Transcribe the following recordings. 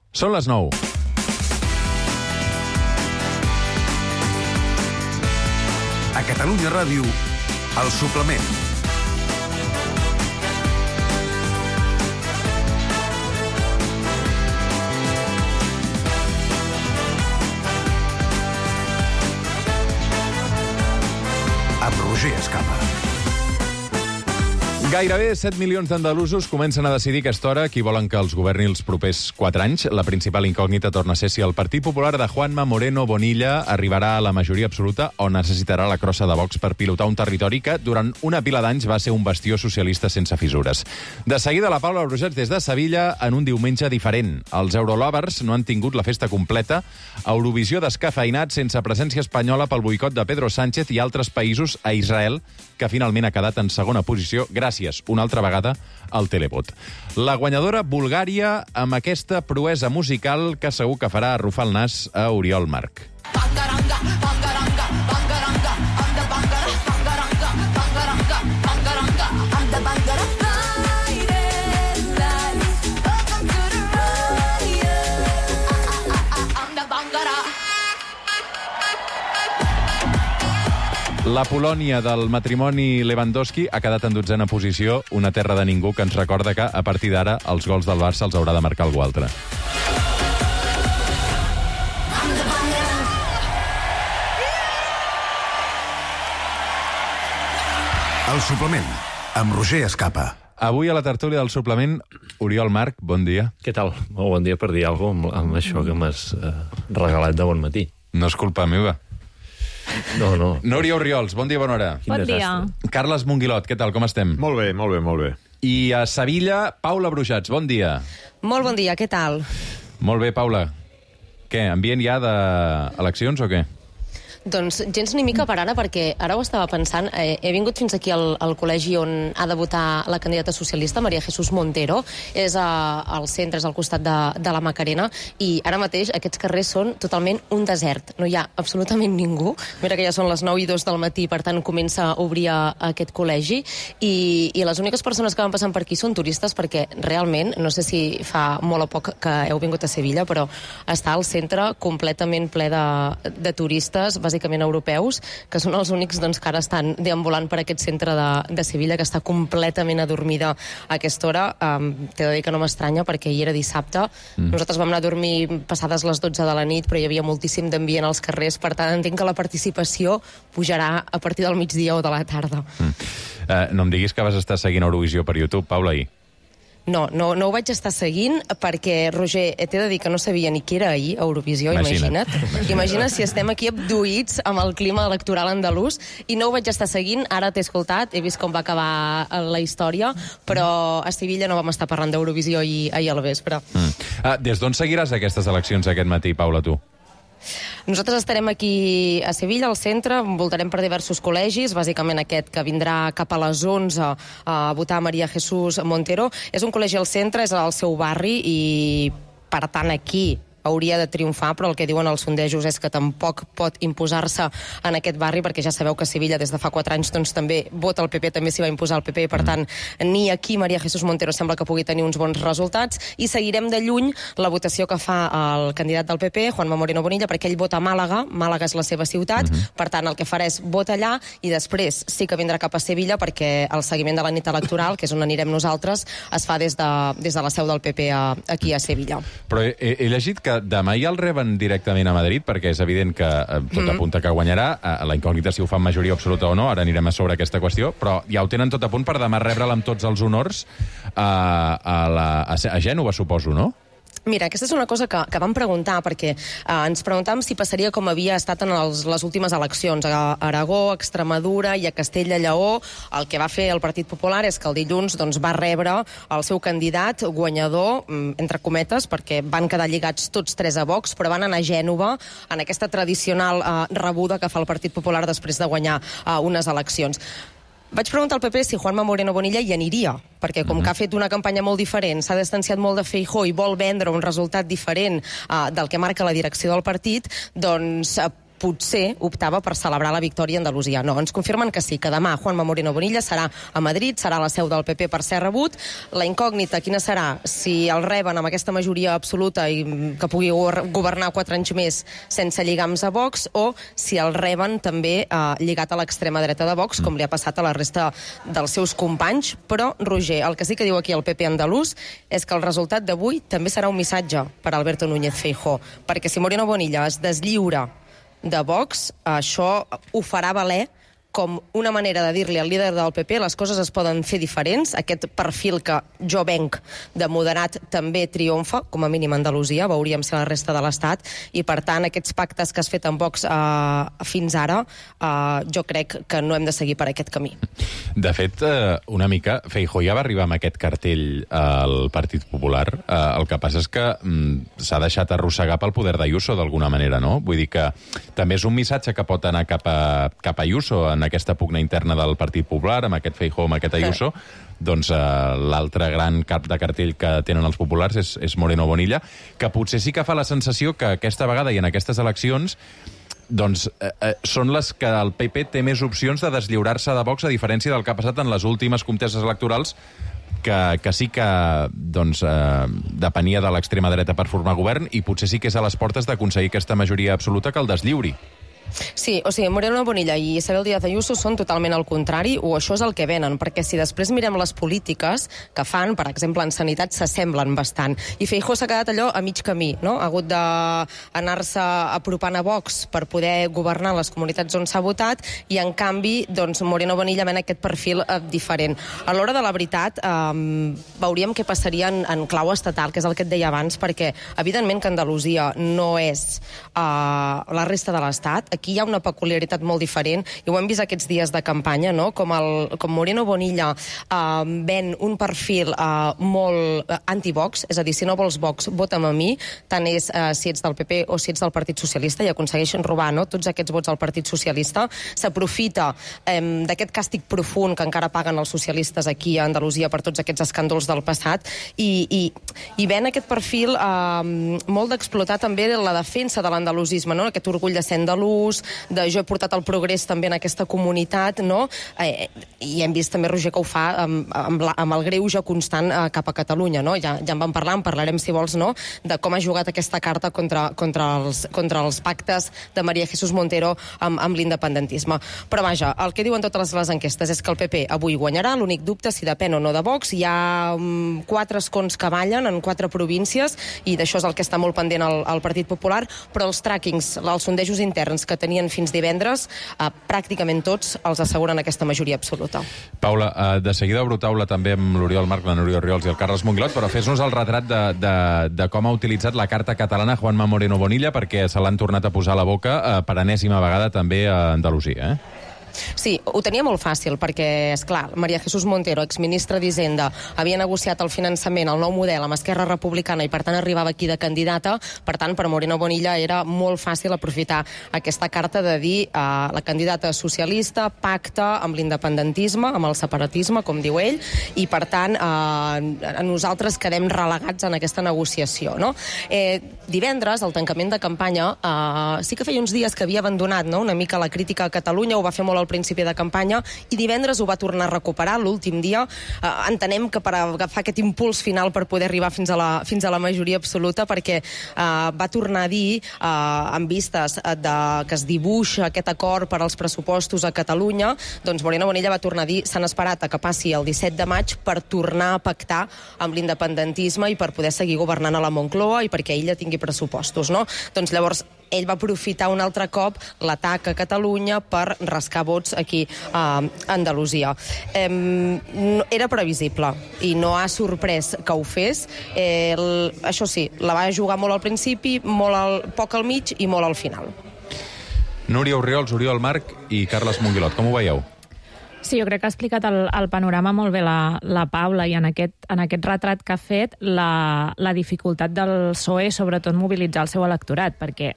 Són les 9. A Catalunya Ràdio, El Suplement. Amb Roger Escapa. Gairebé 7 milions d'andalusos comencen a decidir a aquesta hora qui volen que els governi els propers 4 anys. La principal incògnita torna a ser si el Partit Popular de Juanma Moreno Bonilla arribarà a la majoria absoluta o necessitarà la crossa de Vox per pilotar un territori que durant una pila d'anys va ser un bastió socialista sense fissures. De seguida, la Paula Brujats des de Sevilla en un diumenge diferent. Els Eurolovers no han tingut la festa completa. Eurovisió descafeinat sense presència espanyola pel boicot de Pedro Sánchez i altres països a Israel, que finalment ha quedat en segona posició gràcies una altra vegada al televot. La guanyadora Bulgària amb aquesta proesa musical que segur que farà arrufar el nas a Oriol Marc. La Polònia del matrimoni Lewandowski ha quedat en 12a posició, una terra de ningú que ens recorda que, a partir d'ara, els gols del Barça els haurà de marcar algú altre. El Suplement, amb Roger Escapa. Avui a la tertúlia del Suplement, Oriol Marc, bon dia. Què tal? Molt bon dia per dir alguna cosa amb això que m'has regalat de bon matí. No és culpa meva. No. Núria Oriols, bon dia, bona hora. Bon dia. Carles Monguilot, què tal, com estem? Molt bé. I a Sevilla, Paula Brujats, bon dia. Molt bon dia, què tal? Molt bé, Paula. Què, ambient ja d'eleccions o què? Doncs gens ni mica per ara, perquè ara ho estava pensant. He vingut fins aquí al col·legi on ha de votar la candidata socialista, María Jesús Montero. És al centre, és al costat de la Macarena, i ara mateix aquests carrers són totalment un desert. No hi ha absolutament ningú. Mira que ja són les 9:02 del matí, per tant comença a obrir aquest col·legi, i les úniques persones que van passant per aquí són turistes, perquè realment, no sé si fa molt o poc que heu vingut a Sevilla, però està al centre completament ple de turistes, bàsicament europeus, que són els únics que ara estan deambulant per aquest centre de Sevilla, que està completament adormida a aquesta hora. T'he de dir que no m'estranya, perquè hi era dissabte. Nosaltres vam anar a dormir passades les 12 de la nit, però hi havia moltíssim d'ambient als carrers, per tant entenc que la participació pujarà a partir del migdia o de la tarda. No em diguis que vas estar seguint Eurovisió per YouTube, Paula, ahir. No ho vaig estar seguint, perquè, Roger, t'he de dir que no sabia ni què era ahir, Eurovisió, imagina't. Imagina't si estem aquí abduïts amb el clima electoral andalús, i no ho vaig estar seguint. Ara t'he escoltat, he vist com va acabar la història, però a Sevilla no vam estar parlant d'Eurovisió ahir al vespre. Des d'on seguiràs aquestes eleccions aquest matí, Paula, tu? Nosaltres estarem aquí a Sevilla, al centre, voltarem per diversos col·legis, bàsicament aquest que vindrà cap a les 11 a votar María Jesús Montero. És un col·legi al centre, és al seu barri, i per tant aquí hauria de triomfar, però el que diuen els sondejos és que tampoc pot imposar-se en aquest barri, perquè ja sabeu que Sevilla des de fa 4 anys també vota el PP, també s'hi va imposar el PP, i per tant ni aquí María Jesús Montero sembla que pugui tenir uns bons resultats, i seguirem de lluny la votació que fa el candidat del PP, Juanma Moreno Bonilla, perquè ell vota a Màlaga és la seva ciutat, per tant el que farà és vota allà, i després sí que vindrà cap a Sevilla, perquè el seguiment de la nit electoral, que és on anirem nosaltres, es fa des de la seu del PP aquí a Sevilla. Però he llegit que demà ja el reben directament a Madrid, perquè és evident que tot apunta que guanyarà. La incògnita si ho fa en majoria absoluta o no, ara anirem a sobre aquesta qüestió, però ja ho tenen tot a punt per demà rebre'l amb tots els honors a Gènova, suposo, no? Mira, aquesta és una cosa que vam preguntar, perquè ens preguntàvem si passaria com havia estat en les últimes eleccions. A Aragó, a Extremadura i a Castella-Lleó, el que va fer el Partit Popular és que el dilluns va rebre el seu candidat guanyador, entre cometes, perquè van quedar lligats tots 3 a Vox, però van anar a Gènova en aquesta tradicional rebuda que fa el Partit Popular després de guanyar unes eleccions. Vaig preguntar al PP si Juanma Moreno Bonilla hi aniria, perquè com que ha fet una campanya molt diferent, s'ha distanciat molt de Feijóo i vol vendre un resultat diferent del que marca la direcció del partit, doncs potser optava per celebrar la victòria a Andalusia. No, ens confirmen que sí, que demà Juanma Moreno Bonilla serà a Madrid, serà la seu del PP per ser rebut. La incògnita, quina serà? Si el reben amb aquesta majoria absoluta i que pugui governar 4 anys més sense lligams a Vox, o si el reben també lligat a l'extrema dreta de Vox, com li ha passat a la resta dels seus companys. Però, Roger, el que sí que diu aquí el PP andalús és que el resultat d'avui també serà un missatge per Alberto Núñez Feijóo, perquè si Moreno Bonilla es deslliura de Vox, això ho farà valer com una manera de dir-li al líder del PP les coses es poden fer diferents. Aquest perfil que jo venc de moderat també triomfa, com a mínim a Andalusia, veuríem si a la resta de l'Estat, i per tant aquests pactes que has fet amb Vox fins ara, jo crec que no hem de seguir per aquest camí. De fet, una mica, Feijóo ja va arribar amb aquest cartell al Partit Popular. El que passa és que s'ha deixat arrossegar pel poder d'Ayuso d'alguna manera, no? Vull dir que també és un missatge que pot anar cap a Ayuso en aquesta pugna interna del Partit Popular, amb aquest Feijóo, amb aquest Ayuso. Doncs l'altre gran cap de cartell que tenen els populars és Moreno Bonilla, que potser sí que fa la sensació que aquesta vegada i en aquestes eleccions doncs són les que el PP té més opcions de deslliurar-se de Vox, a diferència del que ha passat en les últimes conteses electorals, que sí que doncs, depenia de l'extrema dreta per formar govern, i potser sí que és a les portes d'aconseguir aquesta majoria absoluta que el deslliuri. Sí, o sigui, Moreno Bonilla i Isabel Díaz Ayuso són totalment al contrari, o això és el que venen, perquè si després mirem les polítiques que fan, per exemple, en sanitat, s'assemblen bastant. I Feijóo s'ha quedat allò a mig camí, no? Ha hagut d'anar-se apropant a Vox per poder governar les comunitats on s'ha votat, i en canvi, doncs, Moreno Bonilla ven aquest perfil diferent. A l'hora de la veritat, veuríem què passaria en clau estatal, que és el que et deia abans, perquè, evidentment, que Andalusia no és la resta de l'Estat. Aquí hi ha una peculiaritat molt diferent, i ho hem vist aquests dies de campanya, no? Com Moreno Bonilla ven un perfil molt anti-Vox, és a dir, si no vols Vox, vota'm a mi, tant és si ets del PP o si ets del Partit Socialista, i aconsegueixen robar, no?, tots aquests vots al Partit Socialista. S'aprofita d'aquest càstig profund que encara paguen els socialistes aquí a Andalusia per tots aquests escàndols del passat, i ven aquest perfil molt d'explotar també la defensa de l'andalusisme, no?, aquest orgull de ser andalús, de jo he portat el progrés també en aquesta comunitat, no? I hem vist també, Roger, que ho fa amb el greuge constant cap a Catalunya, no? Ja en vam parlar, en parlarem, si vols, no?, de com ha jugat aquesta carta contra els pactes de María Jesús Montero amb l'independentisme. Però vaja, el que diuen totes les enquestes és que el PP avui guanyarà, l'únic dubte si depèn o no de Vox. Hi ha 4 escons que ballen en 4 províncies, i d'això és el que està molt pendent el Partit Popular, però els trackings, els sondejos interns que tenien fins divendres, pràcticament tots els asseguren aquesta majoria absoluta. Paula, de seguida obro taula també amb l'Oriol Marc, la Núria Orriols i el Carles Monguilot, però fes-nos el retrat de com ha utilitzat la carta catalana Juanma Moreno Bonilla, perquè se l'han tornat a posar a la boca per enèsima vegada també a Andalusia, Sí, ho tenia molt fàcil, perquè, esclar, María Jesús Montero, exministra d'Hisenda, havia negociat el finançament, el nou model, amb Esquerra Republicana, i per tant arribava aquí de candidata. Per tant, per Moreno Bonilla era molt fàcil aprofitar aquesta carta de dir la candidata socialista pacta amb l'independentisme, amb el separatisme, com diu ell, i per tant nosaltres quedem relegats en aquesta negociació, no? Divendres, al tancament de campanya, sí que feia uns dies que havia abandonat, no?, una mica la crítica a Catalunya, ho va fer molt al principi de campanya, i divendres ho va tornar a recuperar l'últim dia. Entenem que per agafar aquest impuls final per poder arribar fins a la majoria absoluta, perquè va tornar a dir, en vistes que es dibuixa aquest acord per als pressupostos a Catalunya, doncs Moreno Bonilla va tornar a dir s'han esperat a que passi el 17 de maig per tornar a pactar amb l'independentisme i per poder seguir governant a la Moncloa i perquè ella tingui pressupostos, no? Doncs llavors ell va aprofitar un altre cop l'atac a Catalunya per rascar vots aquí a Andalusia. Era previsible i no ha sorprès que ho fes. Això sí, la va jugar molt al principi, poc al mig i molt al final. Núria Orriols, Oriol Marc i Carles Monguilot, com ho veieu? Sí, jo crec que ha explicat el panorama molt bé la Paula, i en aquest retrat que ha fet la dificultat del PSOE, sobretot mobilitzar el seu electorat, perquè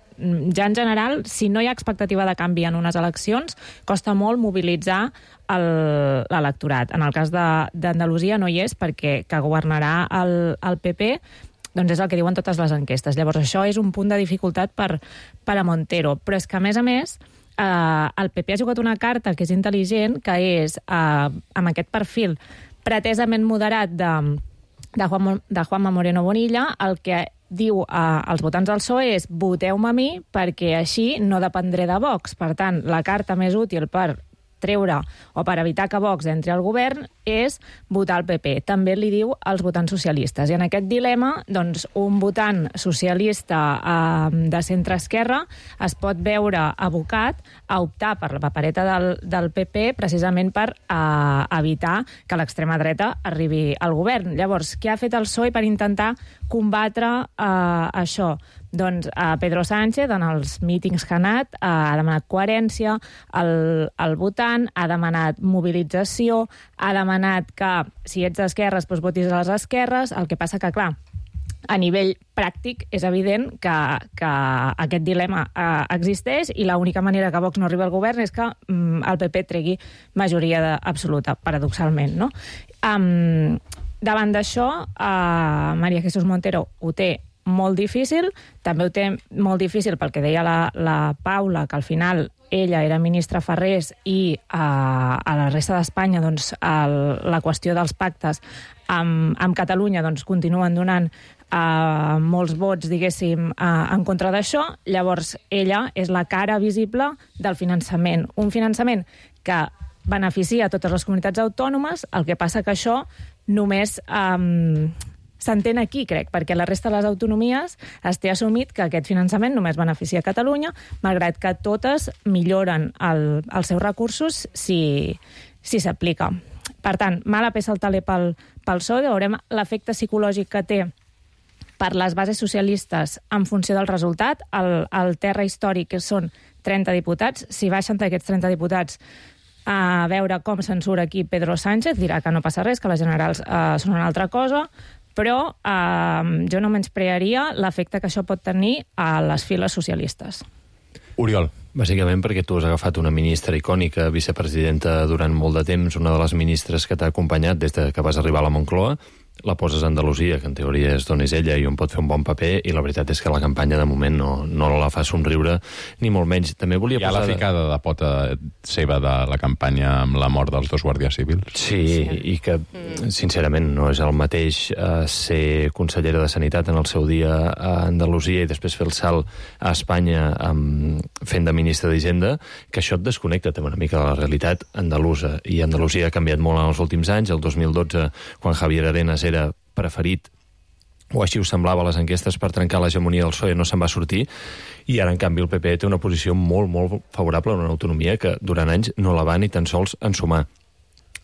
ja en general, si no hi ha expectativa de canvi en unes eleccions, costa molt mobilitzar l'electorat. En el cas d'Andalusia no hi és, perquè que governarà el PP Doncs és el que diuen totes les enquestes. Llavors, això és un punt de dificultat per a Montero. Però és que, a més, el PP ha jugat una carta que és intel·ligent, que és, amb aquest perfil pretesament moderat de Juanma Moreno Bonilla, el que diu als votants del PSOE és voteu-me a mi perquè així no dependré de Vox. Per tant, la carta més útil per treure o per evitar que Vox entri al govern és votar el PP. També li diu als votants socialistes. I en aquest dilema, doncs, un votant socialista de centre-esquerra es pot veure abocat a optar per la papereta del PP precisament per evitar que l'extrema dreta arribi al govern. Llavors, què ha fet el PSOE per intentar combatre això? Doncs Pedro Sánchez, en els mítings que ha anat, ha demanat coherència al votant, ha demanat mobilització, ha demanat que, si ets d'esquerres, doncs votis a les esquerres. El que passa que, clar, a nivell pràctic és evident que aquest dilema existeix i l'única manera que Vox no arribi al govern és que el PP tregui majoria absoluta, paradoxalment, no? Davant d'això, María Jesús Montero ho té molt difícil, també ho té molt difícil pel que deia la Paula, que al final ella era ministra Ferrés i a la resta d'Espanya doncs, la qüestió dels pactes amb Catalunya doncs, continuen donant molts vots, diguéssim, en contra d'això. Llavors, ella és la cara visible del finançament. Un finançament que beneficia a totes les comunitats autònomes, el que passa que això només s'entén aquí, crec, perquè la resta de les autonomies es té assumit que aquest finançament només beneficia a Catalunya, malgrat que totes milloren els seus recursos si s'aplica. Per tant, mala peça al taler pel PSOE, veurem l'efecte psicològic que té per les bases socialistes en funció del resultat. El terra històric són 30 diputats. Si baixen d'aquests 30 diputats a veure com censura aquí Pedro Sánchez, dirà que no passa res, que les generals són una altra cosa, però jo no menysprearia l'efecte que això pot tenir a les files socialistes. Oriol. Bàsicament perquè tu has agafat una ministra icònica, vicepresidenta durant molt de temps, una de les ministres que t'ha acompanyat des que vas arribar a la Moncloa, la poses a Andalusia, que en teoria és d'on és ella i on pot fer un bon paper, i la veritat és que la campanya de moment no la fa somriure, ni molt menys. També volia posar... Hi ha la ficada de pota seva de la campanya amb la mort dels 2 guàrdies civils. Sí, i que, sincerament, no és el mateix ser consellera de Sanitat en el seu dia a Andalusia i després fer el salt a Espanya fent de ministra d'Hisenda, que això et desconnecta també una mica de la realitat andalusa. I Andalusia ha canviat molt en els últims anys. El 2012, quan Javier Arenas era preferit, o així ho semblava a les enquestes, per trencar l'hegemonia del PSOE, no se'n va sortir, i ara, en canvi, el PP té una posició molt, molt favorable a una autonomia que durant anys no la va ni tan sols ensumar.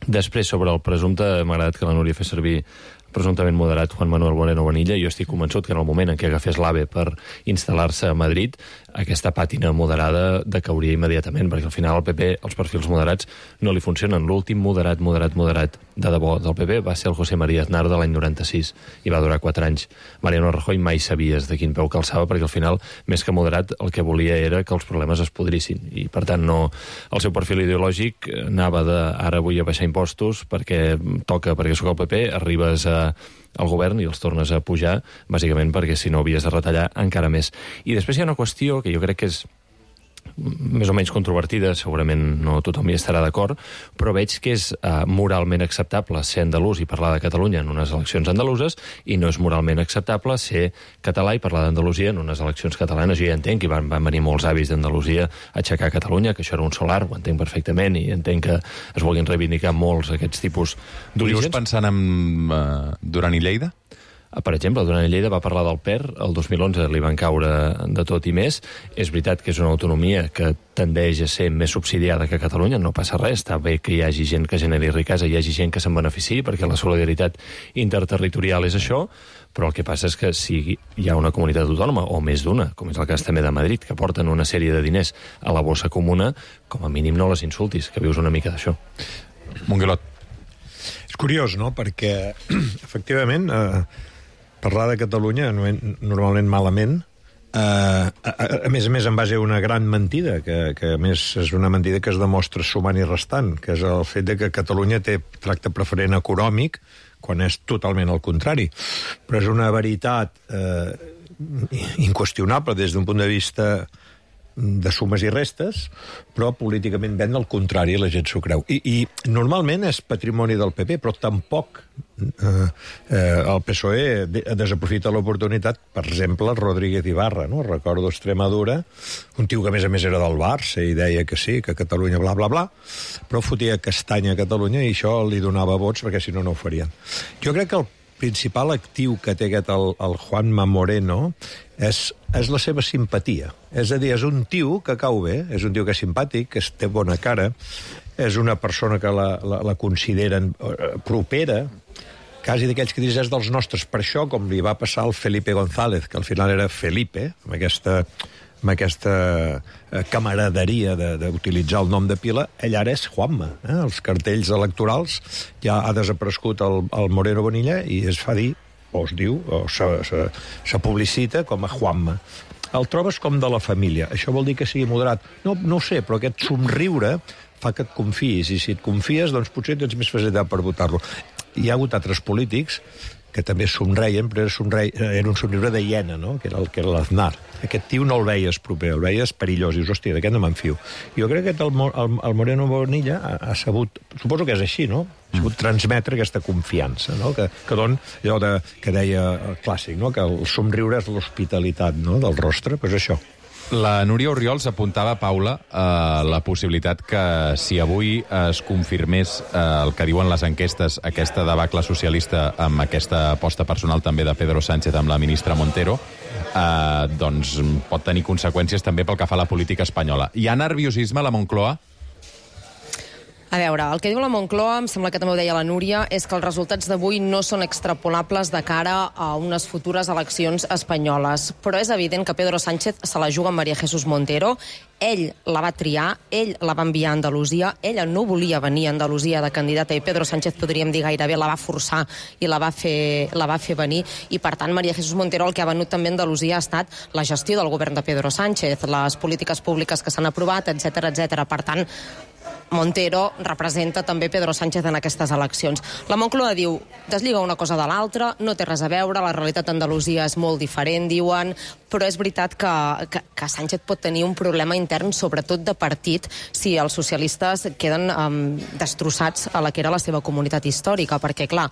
Després, sobre el presumpte, m'ha agradat que la Núria fes servir presumptament moderat Juan Manuel Moreno Bonilla. Jo estic convençut que en el moment en què agafés l'AVE per instal·lar-se a Madrid, aquesta pàtina moderada decauria immediatament, perquè al final al PP els perfils moderats no li funcionen. L'últim moderat de debò del PP va ser el José María Aznar de l'any 96 i va durar 4 anys. Mariano Rajoy mai sabies de quin peu calçava, perquè al final, més que moderat, el que volia era que els problemes es podrissin, i per tant no, el seu perfil ideològic anava de ara vull abaixar impostos perquè toca, perquè sóc el PP, arribes al govern i els tornes a pujar, bàsicament perquè si no havies de retallar encara més. I després hi ha una qüestió que jo crec que és més o menys controvertida, segurament no tothom hi estarà d'acord, però veig que és moralment acceptable ser andalús i parlar de Catalunya en unes eleccions andaluses, i no és moralment acceptable ser català i parlar d'Andalusia en unes eleccions catalanes. Jo ja entenc que van venir molts avis d'Andalusia a aixecar Catalunya, que això era un solar, ho entenc perfectament, i entenc que es vulguin reivindicar molts aquests tipus d'orígens. Dius pensant en Duran i Lleida? Per exemple, Duran i Lleida va parlar del PER, el 2011 li van caure de tot i més. És veritat que és una autonomia que tendeix a ser més subsidiada que Catalunya, no passa res, està bé que hi hagi gent que generi riquesa, hi hagi gent que se'n benefici, perquè la solidaritat interterritorial és això, però el que passa és que si hi ha una comunitat autònoma, o més d'una, com és el cas també de Madrid, que porten una sèrie de diners a la bossa comuna, com a mínim no les insultis, que vius una mica d'això. Monguelot. És curiós, no?, perquè efectivament parlar de Catalunya normalment malament a més en base a una gran mentida, que a més és una mentida que es demostra sumant i restant, que és el fet de que Catalunya té tracte preferent econòmic, quan és totalment al contrari. Però és una veritat inqüestionable des d'un punt de vista de sumes i restes, però políticament ven al contrari, la gent s'ho creu. I normalment és patrimoni del PP, però tampoc el PSOE desaprofita l'oportunitat, per exemple, Rodríguez Ibarra, no? Recordo Extremadura, un tio que a més era del Barça i deia que sí, que Catalunya bla bla bla, però fotia castanya a Catalunya i això li donava vots perquè si no, no ho farien. Jo crec que el principal actiu que té aquest el Juanma Moreno és la seva simpatia. És a dir, és un tio que cau bé, és un tio que és simpàtic, que té bona cara, és una persona que la consideren propera, quasi d'aquells que dius és dels nostres. Per això, com li va passar al Felipe González, que al final era Felipe, amb aquesta camaraderia d'utilitzar el nom de pila, ell ara és Juanma. Els cartells electorals ja ha desaparegut el Moreno Bonilla i es fa dir, o es diu, o se publicita com a Juanma. El trobes com de la família. Això vol dir que sigui moderat? No ho sé, però aquest somriure fa que et confiïs, i si et confies, doncs potser tens més facilitat per votar-lo. Hi ha hagut altres polítics que també somreien, però era un somriure de hiena, no? que era l'Aznar. Aquest tio no el veies proper, el veies perillós, i dius, hòstia, d'aquest no m'enfio. Jo crec que el Moreno Bonilla ha sabut, suposo que és així, no? Ha sabut transmetre aquesta confiança, no? Que don allò que deia el clàssic, no? Que el somriure és l'hospitalitat, no? Del rostre, doncs això. La Núria Orriols apuntava, Paula, la possibilitat que si avui es confirmés el que diuen les enquestes, aquesta debacle socialista amb aquesta aposta personal també de Pedro Sánchez amb la ministra Montero, doncs pot tenir conseqüències també pel que fa a la política espanyola. Hi ha nerviosisme a la Moncloa? A veure, el que diu la Moncloa, em sembla que també ho deia la Núria, és que els resultats d'avui no són extrapolables de cara a unes futures eleccions espanyoles. Però és evident que Pedro Sánchez se la juga amb María Jesús Montero. Ell la va triar, ell la va enviar a Andalusia, ella no volia venir a Andalusia de candidata i Pedro Sánchez, podríem dir gairebé, la va forçar i la va fer venir. I, per tant, María Jesús Montero el que ha venut també a Andalusia ha estat la gestió del govern de Pedro Sánchez, les polítiques públiques que s'han aprovat, etc etc. Per tant, Montero representa també Pedro Sánchez en aquestes eleccions. La Moncloa diu, deslliga una cosa de l'altra, no té res a veure, la realitat d'Andalusia és molt diferent, diuen, però és veritat que Sánchez pot tenir un problema intern, sobretot de partit, si els socialistes queden destrossats a la que era la seva comunitat històrica, perquè, clar,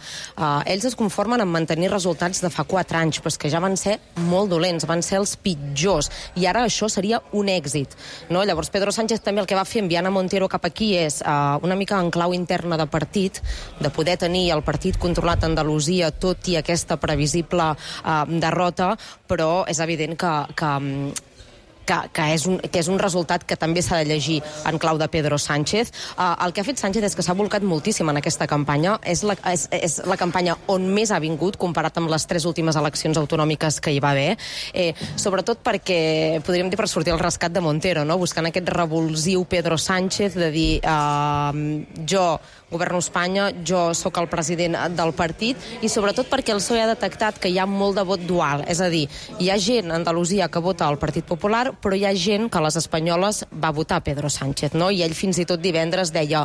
ells es conformen en mantenir resultats de fa 4 anys, però és que ja van ser molt dolents, van ser els pitjors, i ara això seria un èxit, no? Llavors Pedro Sánchez també el que va fer enviant a Montero cap aquí és una mica en clau interna de partit, de poder tenir el partit controlat a Andalusia, tot i aquesta previsible derrota, però és evident que és un resultat que també s'ha de llegir en clau de Pedro Sánchez. El que ha fet Sánchez és que s'ha volcat moltíssim en aquesta campanya. És la campanya on més ha vingut, comparat amb les 3 últimes eleccions autonòmiques que hi va haver. Sobretot perquè, podríem dir, per sortir al rescat de Montero, no? Buscant aquest revulsiu Pedro Sánchez de dir jo governo Espanya, jo sóc el president del partit, i sobretot perquè el PSOE ha detectat que hi ha molt de vot dual. És a dir, hi ha gent a Andalusia que vota al Partit Popular, però hi ha gent que a les espanyoles va votar Pedro Sánchez, no? I ell fins i tot divendres deia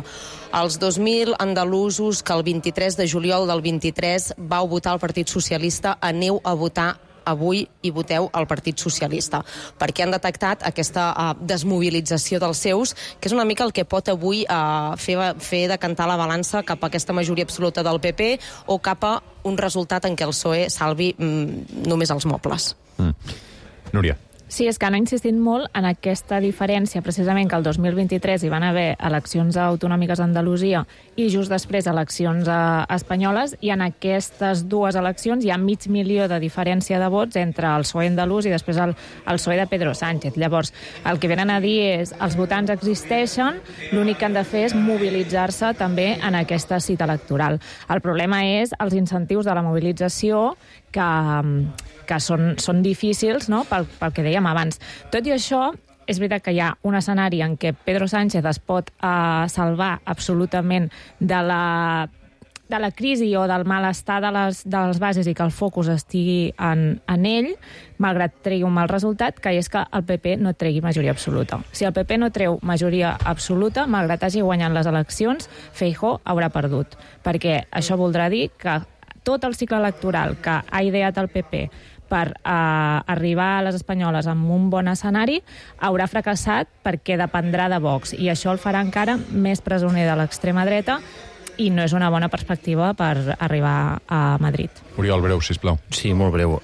els 2.000 andalusos que el 23 de juliol del 23 vau votar el Partit Socialista, aneu a votar avui i voteu al Partit Socialista, perquè han detectat aquesta desmobilització dels seus, que és una mica el que pot avui fer decantar la balança cap a aquesta majoria absoluta del PP o cap a un resultat en què el PSOE salvi només els mobles. Núria. Sí, és que han insistit molt en aquesta diferència, precisament que el 2023 hi van haver eleccions autonòmiques a Andalusia i just després eleccions espanyoles, i en aquestes 2 eleccions hi ha 500.000 de diferència de vots entre el PSOE andalús i després el PSOE de Pedro Sánchez. Llavors, el que venen a dir és els votants existeixen, l'únic que han de fer és mobilitzar-se també en aquesta cita electoral. El problema és els incentius de la mobilització que són difícils, no?, pel que dèiem abans. Tot i això, és veritat que hi ha un escenari en què Pedro Sánchez es pot salvar absolutament de la crisi o del malestar de les bases i que el focus estigui en ell, malgrat tregui un mal resultat, que és que el PP no tregui majoria absoluta. Si el PP no treu majoria absoluta, malgrat hagi guanyat les eleccions, Feijóo haurà perdut. Perquè això voldrà dir que tot el cicle electoral que ha ideat el PP per arribar a les espanyoles amb un bon escenari, haurà fracassat perquè dependrà de Vox. I això el farà encara més presoner de l'extrema dreta i no és una bona perspectiva per arribar a Madrid. Oriol, breu, sisplau. Sí, molt breu.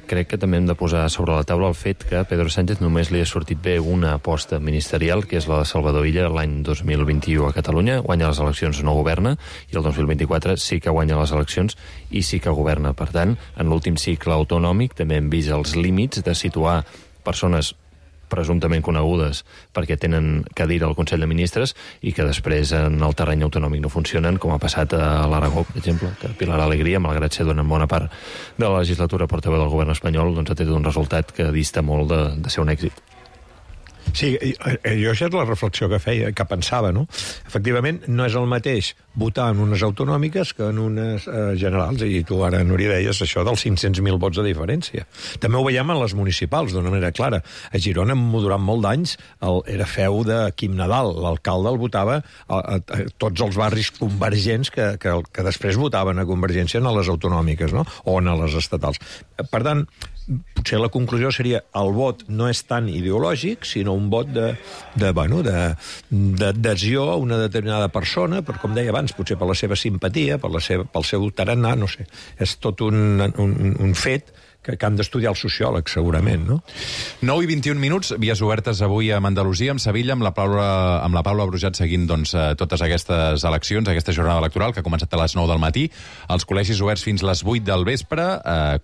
Crec que també hem de posar sobre la taula el fet que a Pedro Sánchez només li ha sortit bé una aposta ministerial, que és la de Salvador Illa, l'any 2021 a Catalunya. Guanya les eleccions, no governa, i el 2024 sí que guanya les eleccions i sí que governa. Per tant, en l'últim cicle autonòmic també hem vist els límits de situar persones presumptament conegudes perquè tenen cadira al Consell de Ministres i que després en el terreny autonòmic no funcionen, com ha passat a l'Aragó, per exemple, que Pilar Alegría, malgrat ser durant bona part de la legislatura portaveu del govern espanyol, doncs ha tret un resultat que dista molt de ser un èxit. Sí, jo això és la reflexió que feia, que pensava, no? Efectivament, no és el mateix votar en unes autonòmiques que en unes generals, i tu ara, Núria, deies això dels 500.000 vots de diferència. També ho veiem en les municipals, d'una manera clara. A Girona, durant molt d'anys, era feu de Quim Nadal. L'alcalde el votava a tots els barris convergents que després votaven a Convergència en les autonòmiques, no? O en les estatals. Per tant, potser la conclusió seria el vot no és tan ideològic, sinó un vot d'adhesió a una determinada persona, per, com deia abans, potser per la seva simpatia, pel seu tarannà, no sé. És tot un fet que han d'estudiar els sociòlegs, segurament, no? 9 i 21 minuts, vies obertes avui a Andalusia, amb Sevilla, amb la Paula Brujat seguint totes aquestes eleccions, aquesta jornada electoral que ha començat a les 9 del matí, els col·legis oberts fins les 8 del vespre,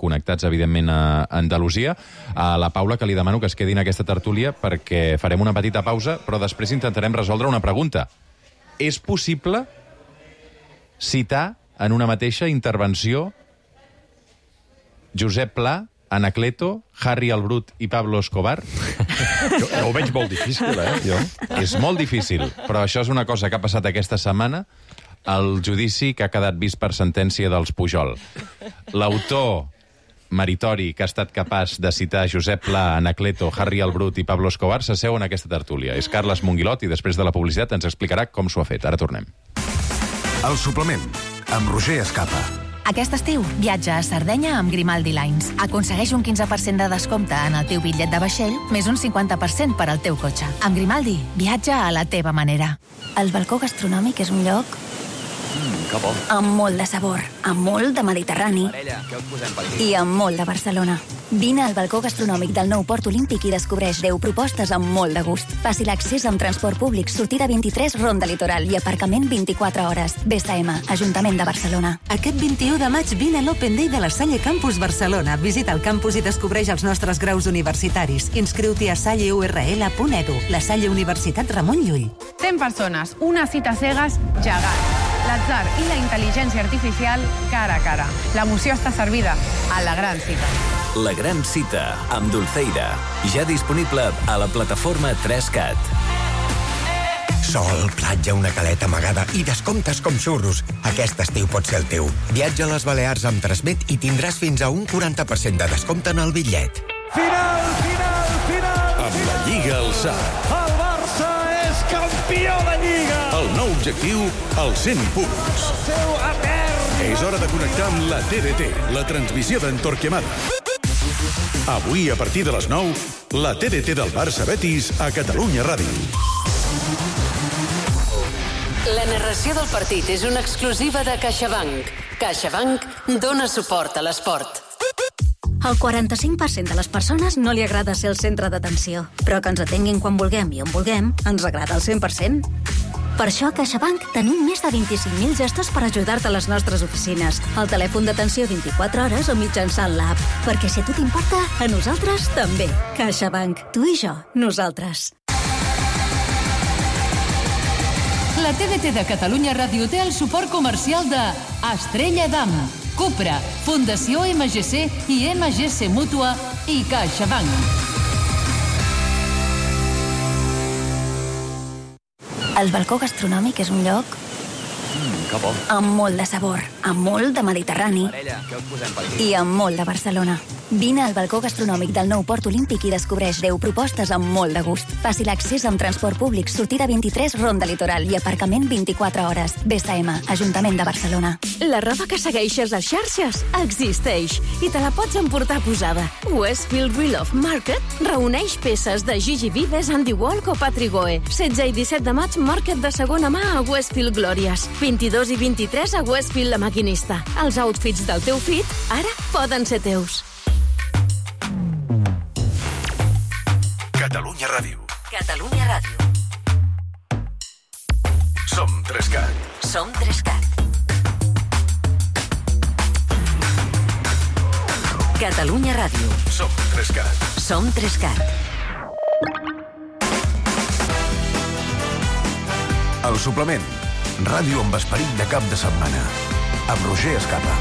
connectats, evidentment, a Andalusia. A la Paula, que li demano que es quedi en aquesta tertúlia perquè farem una petita pausa, però després intentarem resoldre una pregunta. És possible citar en una mateixa intervenció Josep Pla, Anacleto, Harry el Brut i Pablo Escobar? Jo ho veig molt difícil, jo. És molt difícil, però això és una cosa que ha passat aquesta setmana al judici que ha quedat vist per sentència dels Pujol. L'autor meritori que ha estat capaç de citar Josep Pla, Anacleto, Harry el Brut i Pablo Escobar s'asseu en aquesta tertúlia. És Carles Monguilot i després de la publicitat ens explicarà com s'ho ha fet. Ara tornem. El suplement, amb Roger Escapa. Aquest estiu, viatja a Sardenya amb Grimaldi Lines. Aconsegueix un 15% de descompte en el teu bitllet de vaixell, més un 50% per al teu cotxe. Amb Grimaldi, viatja a la teva manera. El balcó gastronòmic és un lloc que bo. Amb molt de sabor, amb molt de Mediterrani i amb molt de Barcelona. Vine al balcó gastronòmic del nou Port Olímpic i descobreix 10 propostes amb molt de gust. Fàcil accés amb transport públic, sortida 23, Ronda Litoral i aparcament 24 hores. BSM, Ajuntament de Barcelona. Aquest 21 de maig vine a l'Open Day de la Salle Campus Barcelona. Visita el campus i descobreix els nostres graus universitaris. Inscriu-t'hi a salleurl.edu. La Salle Universitat Ramon Llull. 100 persones, una cita cegues gegant. L'atzar i la intel·ligència artificial cara a cara. L'emoció està servida a la gran cita. La gran cita, amb Dulceida. Ja disponible a la plataforma 3CAT. Sol, platja, una caleta amagada i descomptes com xurros. Aquest estiu pot ser el teu. Viatja a les Balears amb Transmet i tindràs fins a un 40% de descompte en el bitllet. Final! Amb la Lliga al SAT. El Barça és campió de Lliga! El nou objectiu, els 100 punts. El seu etern! És hora de connectar amb la TDT, la transmissió d'en Torquemada. Avui, a partir de les 9, la TDT del Barça Betis a Catalunya Ràdio. La narració del partit és una exclusiva de CaixaBank. CaixaBank dona suport a l'esport. Al 45% de les persones no li agrada ser el centre d'atenció, però que ens atenguin quan vulguem i on vulguem ens agrada al 100%. Per això a CaixaBank tenim més de 25.000 gestos per ajudar-te a les nostres oficines, al telèfon d'atenció 24 hores o mitjançant l'app. Perquè si a tu t'importa, a nosaltres també. CaixaBank. Tu i jo. Nosaltres. La TDT de Catalunya Ràdio té el suport comercial de Estrella Damm, Cupra, Fundació MGC i MGC Mútua i CaixaBank. El balcó gastronòmic és un lloc Que bo. Amb molt de sabor, amb molt de Mediterrani Parella, què us posem per aquí? i amb molt de Barcelona. Vine al balcó gastronòmic del nou Port Olímpic i descobreix 10 propostes amb molt de gust. Fàcil accés amb transport públic, sortida 23, Ronda Litoral i aparcament 24 hores. BSM, Ajuntament de Barcelona. La roba que segueixes a xarxes existeix i te la pots emportar posada. Westfield Real of Market reuneix peces de Gigi Vives, Andy Walk o Patrick Goe. 16 i 17 de maig, Market de segona mà a Westfield Glòries. 22 i 23 a Westfield La Maquinista. Els outfits del teu fit ara poden ser teus. Catalunya Ràdio. Catalunya Ràdio. Som 3CAT. Som 3CAT. Catalunya Ràdio. Som 3CAT. Som 3CAT. El suplement. Ràdio amb esperit de cap de setmana. Amb Roger Escapa.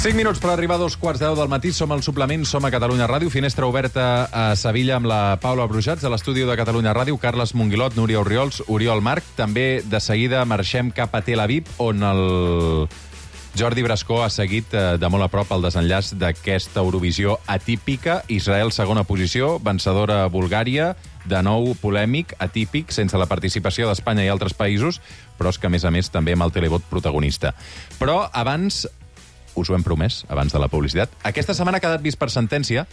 Cinc minuts per arribar a 2:15 del matí. Som al suplement, som a Catalunya Ràdio. Finestra oberta a Sevilla amb la Paula Brujats, a l'estudi de Catalunya Ràdio, Carles Monguilot, Núria Orriols, Oriol Marc. També de seguida marxem cap a Tel Aviv, on el Jordi Brascó ha seguit de molt a prop el desenllaç d'aquesta Eurovisió atípica. Israel, segona posició, vencedora Bulgària, de nou polèmic, atípic, sense la participació d'Espanya i altres països, però és que, a més, també amb el televot protagonista. Però abans, us ho hem promès, abans de la publicitat, aquesta setmana ha quedat vist per sentència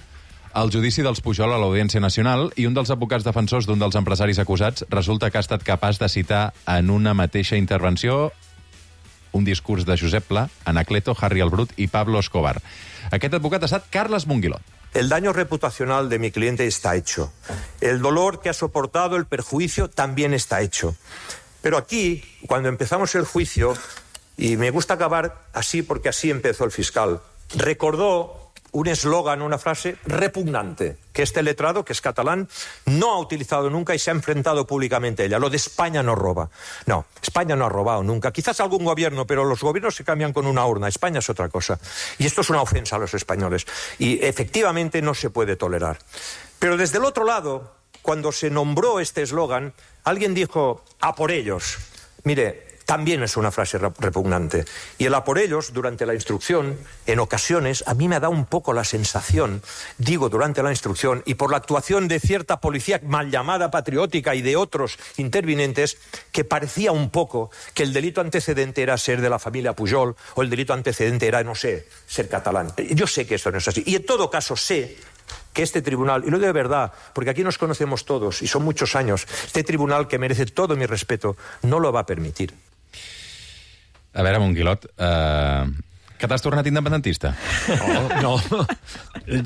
el judici dels Pujol a l'Audiència Nacional i un dels advocats defensors d'un dels empresaris acusats resulta que ha estat capaç de citar en una mateixa intervenció un discurs de Josep Pla, Anacleto, Harry el Brut i Pablo Escobar. Aquest advocat ha estat Carles Monguilot. El daño reputacional de mi cliente está hecho. El dolor que ha soportado, el perjuicio, también está hecho. Pero aquí, cuando empezamos el juicio, y me gusta acabar así porque así empezó el fiscal, recordó un eslogan, una frase repugnante, que este letrado, que es catalán, no ha utilizado nunca y se ha enfrentado públicamente a ella. Lo de España no roba. No, España no ha robado nunca. Quizás algún gobierno, pero los gobiernos se cambian con una urna. España es otra cosa. Y esto es una ofensa a los españoles. Y efectivamente no se puede tolerar. Pero desde el otro lado, cuando se nombró este eslogan, alguien dijo, a por ellos. Mire, también es una frase repugnante. Y el a por ellos, durante la instrucción, en ocasiones, a mí me da un poco la sensación, digo durante la instrucción, y por la actuación de cierta policía mal llamada patriótica y de otros intervinientes, que parecía un poco que el delito antecedente era ser de la familia Pujol, o el delito antecedente era, no sé, ser catalán. Yo sé que esto no es así. Y en todo caso sé que este tribunal, y lo digo de verdad, porque aquí nos conocemos todos, y son muchos años, este tribunal que merece todo mi respeto, no lo va a permitir. A veure, Monguilot, que t'has tornat independentista?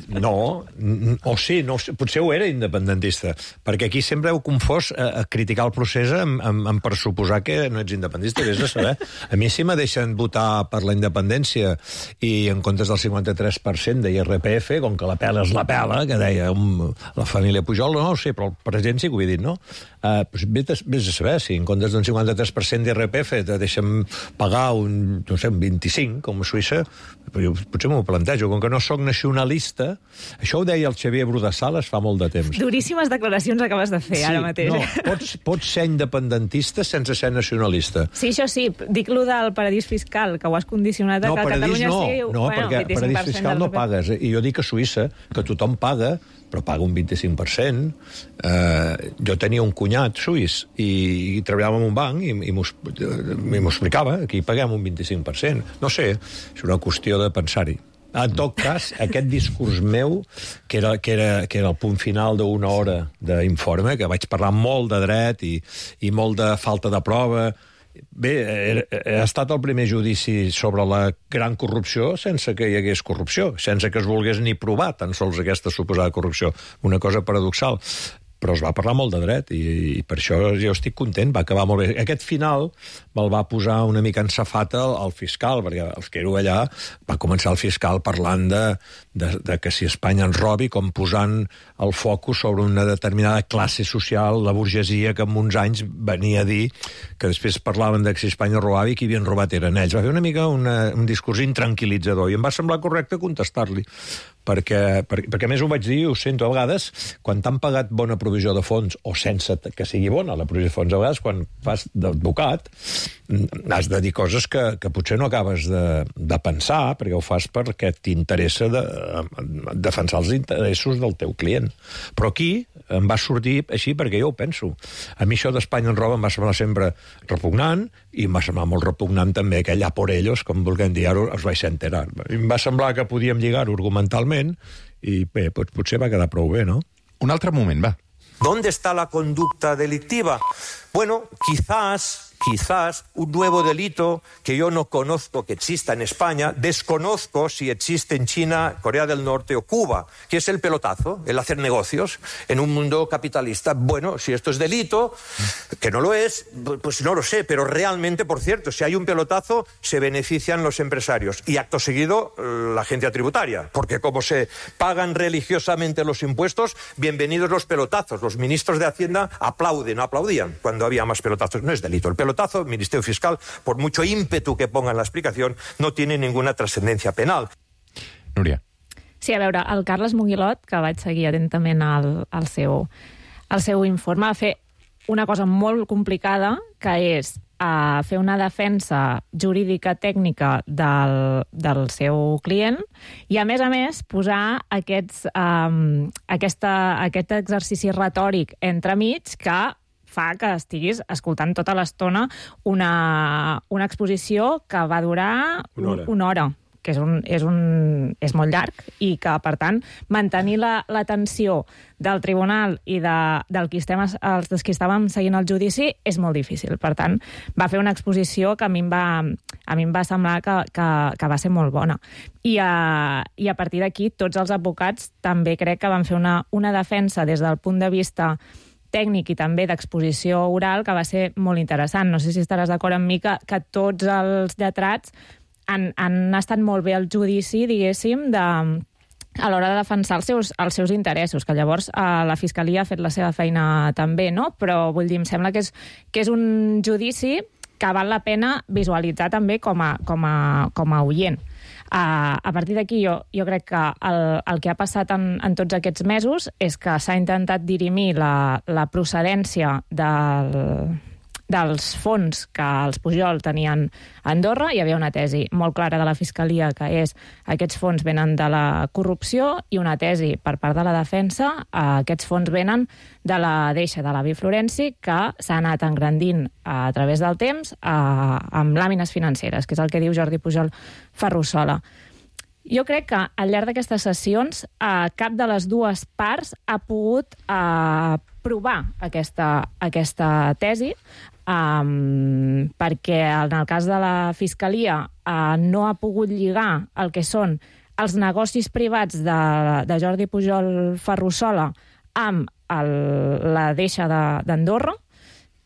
No, o sí, no, potser ho era independentista, perquè aquí sempre heu confós criticar el procés en pressuposar que no ets independentista, vés a saber. A mi si me deixen votar per la independència i en comptes del 53% de IRPF, com que la pela és la pela, que deia la família Pujol, no ho sé, però el president sí que ho he dit, no? Vés a saber, si en comptes d'un 53% d'IRPF te deixen pagar un 25, com a Suïssa, potser m'ho plantejo. Com que no sóc nacionalista, això ho deia el Xavier Brudasales fa molt de temps. Duríssimes declaracions acabes de fer ara mateix. No, pots ser independentista sense ser nacionalista. Sí, això sí, dic lo del paradís fiscal, que ho has condicionat a que Catalunya sigui... No, perquè paradís fiscal no pagues. I jo dic a Suïssa que tothom paga, però paga un 25%. Jo tenia un cunyat suís i treballava en un banc i m'ho explicava, aquí paguem un 25%. No sé, és una qüestió de pensar-hi. En tot cas, aquest discurs meu, que era el punt final d'una hora d'informe, que vaig parlar molt de dret i molt de falta de prova. Bé, ha estat el primer judici sobre la gran corrupció sense que hi hagués corrupció, sense que es volgués ni provar tan sols aquesta suposada corrupció. Una cosa paradoxal. Però es va parlar molt de dret i per això jo estic content, va acabar molt bé. Aquest final me'l va posar una mica en safata el fiscal, perquè els que éreu allà va començar el fiscal parlant de que si Espanya ens robi, com posant el focus sobre una determinada classe social, la burgesia, que en uns anys venia a dir que després parlaven de que si Espanya robava i qui havien robat eren ells. Va fer una mica un discurs intranquil·litzador i em va semblar correcte contestar-li. perquè a més ho vaig dir, ho sento, a vegades, quan t'han pagat bona provisió de fons, o sense que sigui bona la provisió de fons, a vegades, quan fas d'advocat, has de dir coses que potser no acabes de pensar, perquè ho fas perquè t'interessa defensar els interessos del teu client. Però aquí em va sortir així perquè jo ho penso. A mi això d'Espanya en roba em va semblar sempre repugnant, i em va semblar molt repugnant també aquell a por ellos, com vulguem dir, ara us vais a enterar. Em va semblar que podíem lligar-ho argumentalment, i bé, potser va quedar prou bé, no? Un altre moment, va. ¿Dónde está la conducta delictiva? Bueno, quizás un nuevo delito que yo no conozco que exista en España, desconozco si existe en China, Corea del Norte o Cuba, que es el pelotazo, el hacer negocios en un mundo capitalista. Bueno, si esto es delito, que no lo es, pues no lo sé, pero realmente, por cierto, si hay un pelotazo, se benefician los empresarios y acto seguido la agencia tributaria, porque como se pagan religiosamente los impuestos, bienvenidos los pelotazos. Los ministros de Hacienda aplaudían cuando había más pelotazos. No es delito. El pelotazo, el Ministerio Fiscal, por mucho ímpetu que ponga en la explicación, no tiene ninguna trascendencia penal. Núria. Sí, a veure, el Carles Muguilot, que vaig seguir atentament el seu informe, va fer una cosa molt complicada, que és fer una defensa jurídica tècnica del seu client i, a més, posar aquest exercici retòric entremig que fa que estiguis escoltant tota l'estona una exposició que va durar una hora, que és molt llarg, i que, per tant, mantenir l'atenció del tribunal i dels qui estàvem seguint el judici és molt difícil. Per tant, va fer una exposició que a mi em va semblar que va ser molt bona. I a partir d'aquí, tots els advocats també crec que van fer una defensa des del punt de vista tècnic i també d'exposició oral que va ser molt interessant. No sé si estaràs d'acord amb mi que tots els lletrats han estat molt bé al judici, diguéssim, a l'hora de defensar els seus interessos, que llavors la Fiscalia ha fet la seva feina també, no? Però, vull dir, em sembla que és un judici que val la pena visualitzar també com a oient. A partir d'aquí, jo crec que el que ha passat en tots aquests mesos és que s'ha intentat dirimir la procedència dels fons que els Pujol tenien a Andorra. Hi havia una tesi molt clara de la Fiscalia, que és aquests fons venen de la corrupció, i una tesi per part de la defensa, aquests fons venen de la deixa de l'avi Florenci, que s'ha anat engrandint a través del temps amb làmines financeres, que és el que diu Jordi Pujol Ferrusola. Jo crec que al llarg d'aquestes sessions cap de les dues parts ha pogut provar aquesta tesi, perquè en el cas de la Fiscalia no ha pogut lligar el que són els negocis privats de Jordi Pujol Ferrusola amb la deixa d'Andorra,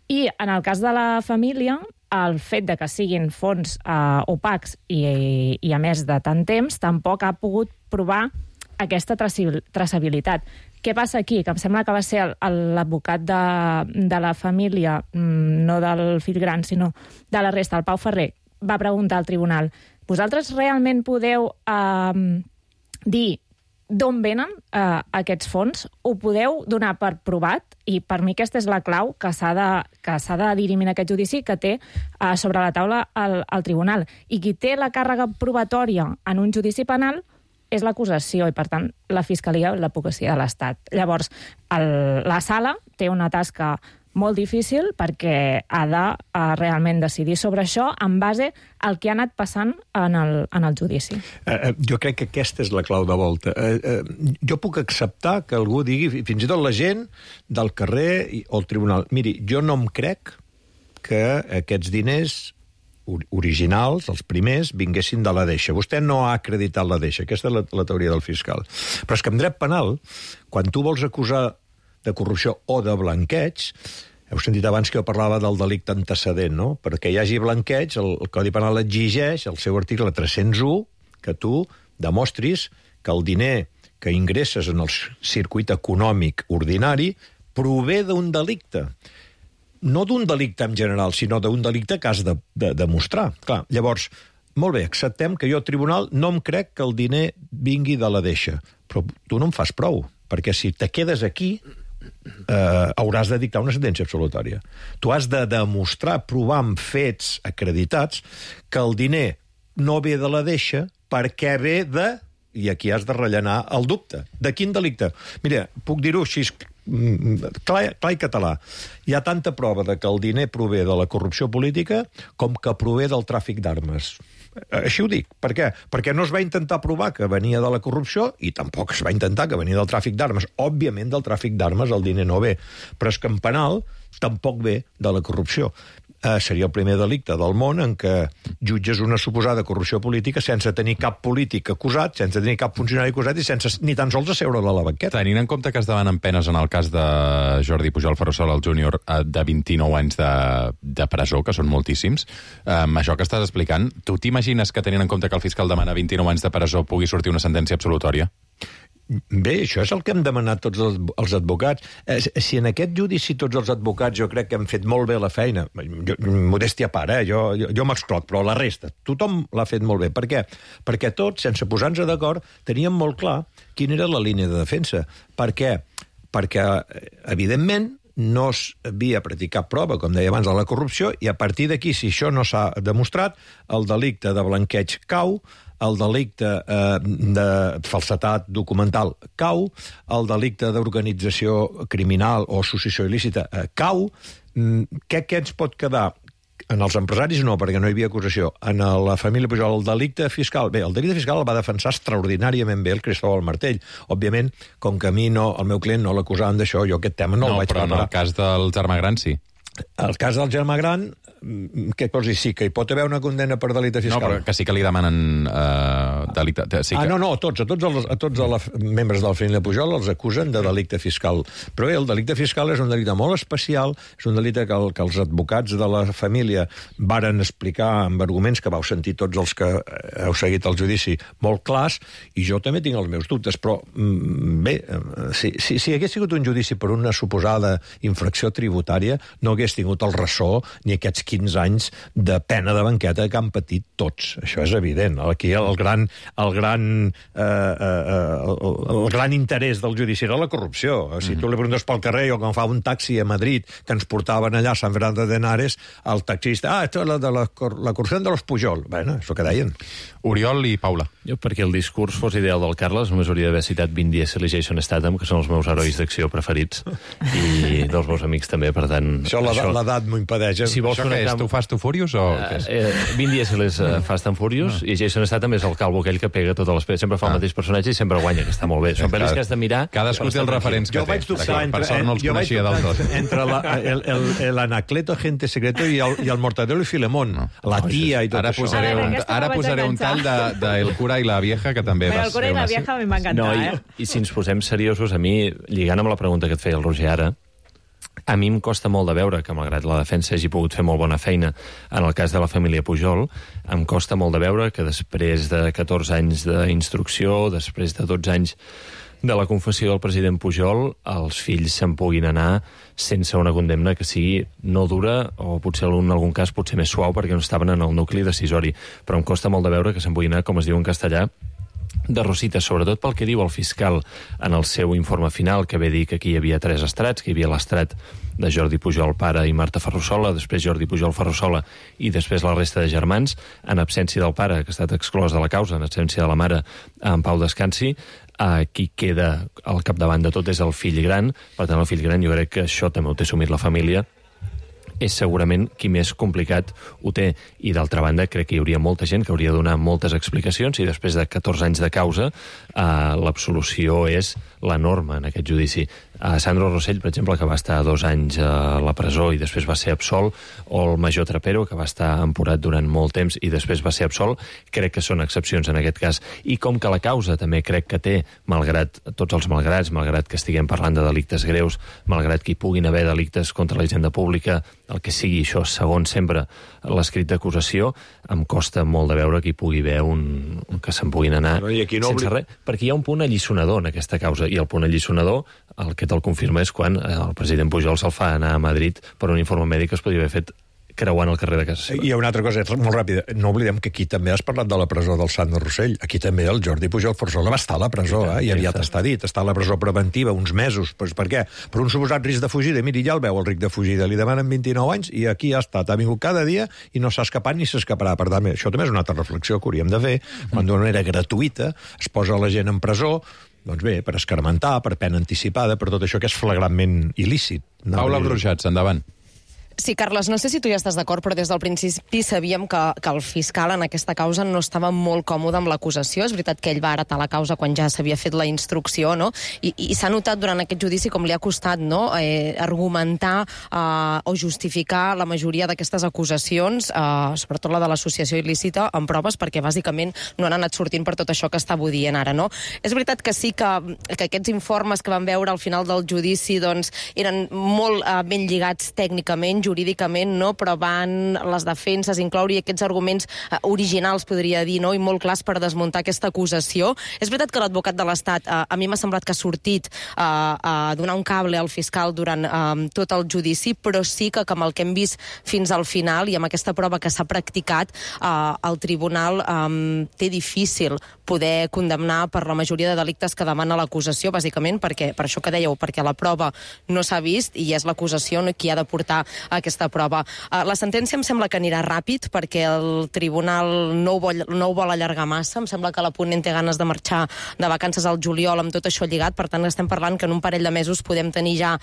i en el cas de la família, el fet de que siguin fons opacs i a més de tant temps, tampoc ha pogut provar aquesta traçabilitat. Què passa aquí? Que em sembla que va ser l'advocat de la família, no del fill gran, sinó de la resta, el Pau Ferrer, va preguntar al tribunal: vosaltres realment podeu dir d'on venen aquests fons? Ho podeu donar per provat? I per mi aquesta és la clau que s'ha de dirimir en aquest judici, que té sobre la taula el tribunal. I qui té la càrrega probatòria en un judici penal és l'acusació, i per tant la Fiscalia i l'advocacia de l'Estat. Llavors, la sala té una tasca molt difícil perquè ha de realment decidir sobre això en base al que ha anat passant en el judici. Jo crec que aquesta és la clau de volta. Jo puc acceptar que algú digui, fins i tot la gent del carrer o el tribunal, miri, jo no em crec que aquests diners originals, els primers, vinguessin de la deixa. Vostè no ha acreditat la deixa. Aquesta és la teoria del fiscal. Però és que en dret penal, quan tu vols acusar de corrupció o de blanqueig, heu sentit abans que jo parlava del delicte antecedent, no? Perquè hi hagi blanqueig, el Codi Penal exigeix, el seu article 301, que tu demostris que el diner que ingresses en el circuit econòmic ordinari prové d'un delicte. No d'un delicte en general, sinó d'un delicte que has de demostrar. Clar, llavors, molt bé, acceptem que jo, tribunal, no em crec que el diner vingui de la deixa, però tu no em fas prou, perquè si te quedes aquí hauràs de dictar una sentència absolutòria. Tu has de demostrar, provar amb fets acreditats que el diner no ve de la deixa perquè ve de... I aquí has de rellenar el dubte. De quin delicte? Mira, puc dir-ho així clar i català. Hi ha tanta prova de que el diner prové de la corrupció política com que prové del tràfic d'armes. Així ho dic. Per què? Perquè no es va intentar provar que venia de la corrupció i tampoc es va intentar que venia del tràfic d'armes. Òbviament, del tràfic d'armes el diner no ve. Però és que en penal tampoc ve de la corrupció. Seria el primer delicte del món en què jutges una suposada corrupció política sense tenir cap polític acusat, sense tenir cap funcionari acusat i sense ni tan sols asseure a la banqueta. Tenint en compte que es demanen penes en el cas de Jordi Pujol Ferrusola, el júnior, de 29 anys de presó, que són moltíssims, amb això que estàs explicant, tu t'imagines que tenint en compte que el fiscal demana 29 anys de presó pugui sortir una sentència absolutòria? Bé, això és el que hem demanat tots els advocats. Si en aquest judici tots els advocats jo crec que hem fet molt bé la feina, modèstia a part, jo m'excloc, però la resta, tothom l'ha fet molt bé. Per què? Perquè tots, sense posar-nos d'acord, teníem molt clar quina era la línia de defensa. Per què? Perquè, evidentment, no s'havia practicat prova, com deia abans, de la corrupció, i a partir d'aquí, si això no s'ha demostrat, el delicte de blanqueig cau, el delicte de falsedat documental cau, el delicte d'organització criminal o associació il·lícita cau. Què ens pot quedar? En els empresaris no, perquè no hi havia acusació. En la família Pujol, el delicte fiscal... Bé, el delicte fiscal el va defensar extraordinàriament bé el Cristóbal Martell. Òbviament, com que a mi no, el meu client no l'acusaven d'això, jo aquest tema no el vaig preparar. No, però en el cas del germà gran sí. El cas del germà gran, què vols dir? Sí, que hi pot haver una condena per delicte fiscal. No, però que sí que li demanen delicte... Sí que... No, a tots els membres de la família Pujol els acusen de delicte fiscal. Però el delicte fiscal és un delicte molt especial, és un delicte que els advocats de la família varen explicar amb arguments que vau sentir tots els que heu seguit el judici molt clars, i jo també tinc els meus dubtes, però bé, si hagués sigut un judici per una suposada infracció tributària, no hagués tingut el ressò ni aquests 15 anys de pena de banqueta que han patit tots. Això és evident. Aquí el gran interès del judici era la corrupció. Si tu li preguntes pel carrer o quan fa un taxi a Madrid que ens portaven allà a Sant Fernando de Henares, el taxista, esto es la corrupció de los Pujol. Bueno, és el que deien. Oriol i Paula. Jo, perquè el discurs fos ideal del Carles, només hauria d'haver citat Vin Diesel i Jason Statham, que són els meus herois d'acció preferits, i dels meus amics també, per tant... Això l'edat m'ho impedeix. Si vols això què és? Tu Fast and Furious o què és? Vin Diesel és Fast and Furious i Jason Statham és el calvo aquell que pega totes les peces. Sempre fa el mateix personatge i sempre guanya, que està molt bé. Són pel·lis que has de mirar... Cadascú té els referents que té. Per sort no els coneixia del tot. Entre l'Anacleto, Agente Secreto i el Mortadelo i Filemón. La tia i tot això. Ara posaré un tall de El cura i la vieja, que també El cura i la vieja a mi m'ha encantat, I si ens posem seriosos, a mi, lligant amb la pregunta que et feia el Roger ara, a mi em costa molt de veure que, malgrat la defensa hagi pogut fer molt bona feina en el cas de la família Pujol, em costa molt de veure que després de 14 anys d'instrucció, després de 12 anys de la confessió del president Pujol, els fills se'n puguin anar sense una condemna que sigui no dura, o potser en algun cas potser més suau, perquè no estaven en el nucli decisori. Però em costa molt de veure que se'n puguin anar, com es diu en castellà, de rosites, sobretot pel que diu el fiscal en el seu informe final, que ve dir que aquí hi havia 3 estrats, que hi havia l'estrat de Jordi Pujol pare i Marta Ferrusola, després Jordi Pujol Ferrusola i després la resta de germans, en absència del pare, que ha estat exclòs de la causa, en absència de la mare, en pau descansi. Qui queda al capdavant de tot és el fill gran. Per tant, el fill gran, jo crec que això també ho té assumit la família, és segurament qui més complicat ho té. I d'altra banda, crec que hi hauria molta gent que hauria de donar moltes explicacions, i després de 14 anys de causa l'absolució és la norma en aquest judici. Sandro Rosell, per exemple, que va estar 2 anys a la presó i després va ser absolt, o el major Trapero, que va estar emporat durant molt temps i després va ser absolt, crec que són excepcions en aquest cas. I com que la causa també crec que té, malgrat tots els malgrats, malgrat que estiguem parlant de delictes greus, malgrat que hi puguin haver delictes contra la hisenda pública, el que sigui això, segons sempre l'escrit d'acusació, em costa molt de veure que hi pugui haver que se'n puguin anar sense res, perquè hi ha un punt alliçonador en aquesta causa, i el punt alliçonador, el que te'l confirma és quan el president Pujol se'l fa anar a Madrid per un informe mèdic que es podria haver fet creuant el carrer de casa seva. Hi ha una altra cosa, molt ràpida. No oblidem que aquí també has parlat de la presó del Sant de Rossell. Aquí també el Jordi Pujol Forzola va estar a la presó, i aviat està dit. Està a la presó preventiva uns mesos. Pues per què? Per un suposat risc de fugida. Miri, ja el veu, el risc de fugida. Li demanen 29 anys i aquí ha estat. Ha vingut cada dia i no s'ha escapat ni s'escaparà. Per tant, això també és una altra reflexió que hauríem de fer. Quan d'una manera gratuïta es posa la gent en presó, doncs bé, per escarmentar, per pena anticipada, per tot això que és flagrantment il·lícit. Paula Brujats, endavant. Sí, Carles, no sé si tu ja estàs d'acord, però des del principi sabíem que el fiscal en aquesta causa no estava molt còmode amb l'acusació. És veritat que ell va heretar la causa quan ja s'havia fet la instrucció, no? I s'ha notat durant aquest judici com li ha costat, no?, argumentar o justificar la majoria d'aquestes acusacions, sobretot la de l'associació il·lícita, amb proves, perquè bàsicament no han anat sortint per tot això que estava dient ara, no? És veritat que sí que aquests informes que vam veure al final del judici doncs, eren molt ben lligats tècnicament, jurídicament, no? Però van les defenses incloure aquests arguments originals, podria dir, no? I molt clars per desmuntar aquesta acusació. És veritat que l'advocat de l'Estat, a mi m'ha semblat que ha sortit a donar un cable al fiscal durant tot el judici, però sí que amb el que hem vist fins al final i amb aquesta prova que s'ha practicat, el tribunal té difícil poder condemnar per la majoria de delictes que demana l'acusació, bàsicament perquè, per això que dèieu, perquè la prova no s'ha vist i és l'acusació qui ha de portar aquesta prova. La sentència em sembla que anirà ràpid perquè el tribunal no ho vol allargar massa. Em sembla que la ponent té ganes de marxar de vacances al juliol amb tot això lligat. Per tant, estem parlant que en un parell de mesos podem tenir ja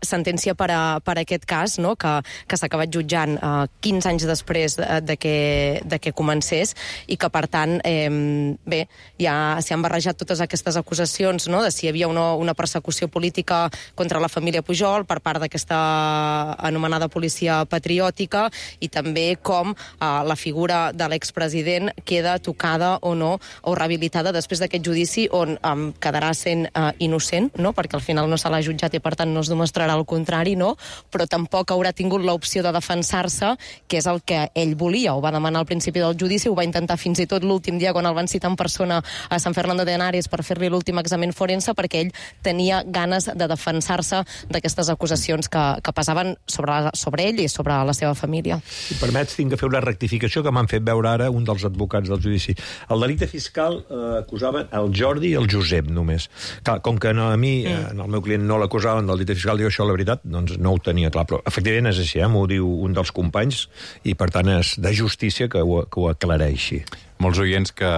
sentència per aquest cas, no? que s'ha acabat jutjant 15 anys després de que comencés i que, per tant, bé, ja s'hi han barrejat totes aquestes acusacions, no? De si hi havia una persecució política contra la família Pujol per part d'aquesta anomenada policia patriòtica i també com la figura de l'expresident queda tocada o no, o rehabilitada després d'aquest judici on quedarà sent innocent, no? Perquè al final no se l'ha jutjat i per tant no es demostrarà el contrari, no? Però tampoc haurà tingut l'opció de defensar-se, que és el que ell volia, ho va demanar al principi del judici, ho va intentar fins i tot l'últim dia quan el van citar en persona a San Fernando de Henares per fer-li l'últim examen forense, perquè ell tenia ganes de defensar-se d'aquestes acusacions que pesaven sobre ell i sobre la seva família. Si permets, tinc que fer una rectificació que m'han fet veure ara un dels advocats del judici. El delicte fiscal acusaven el Jordi i el Josep, només. Clar, com que a mi, el meu client, no l'acusaven del delicte fiscal, diu això, la veritat, doncs no ho tenia clar. Però, efectivament, és així, m'ho diu un dels companys, i, per tant, és de justícia que ho aclareixi. Molts oients que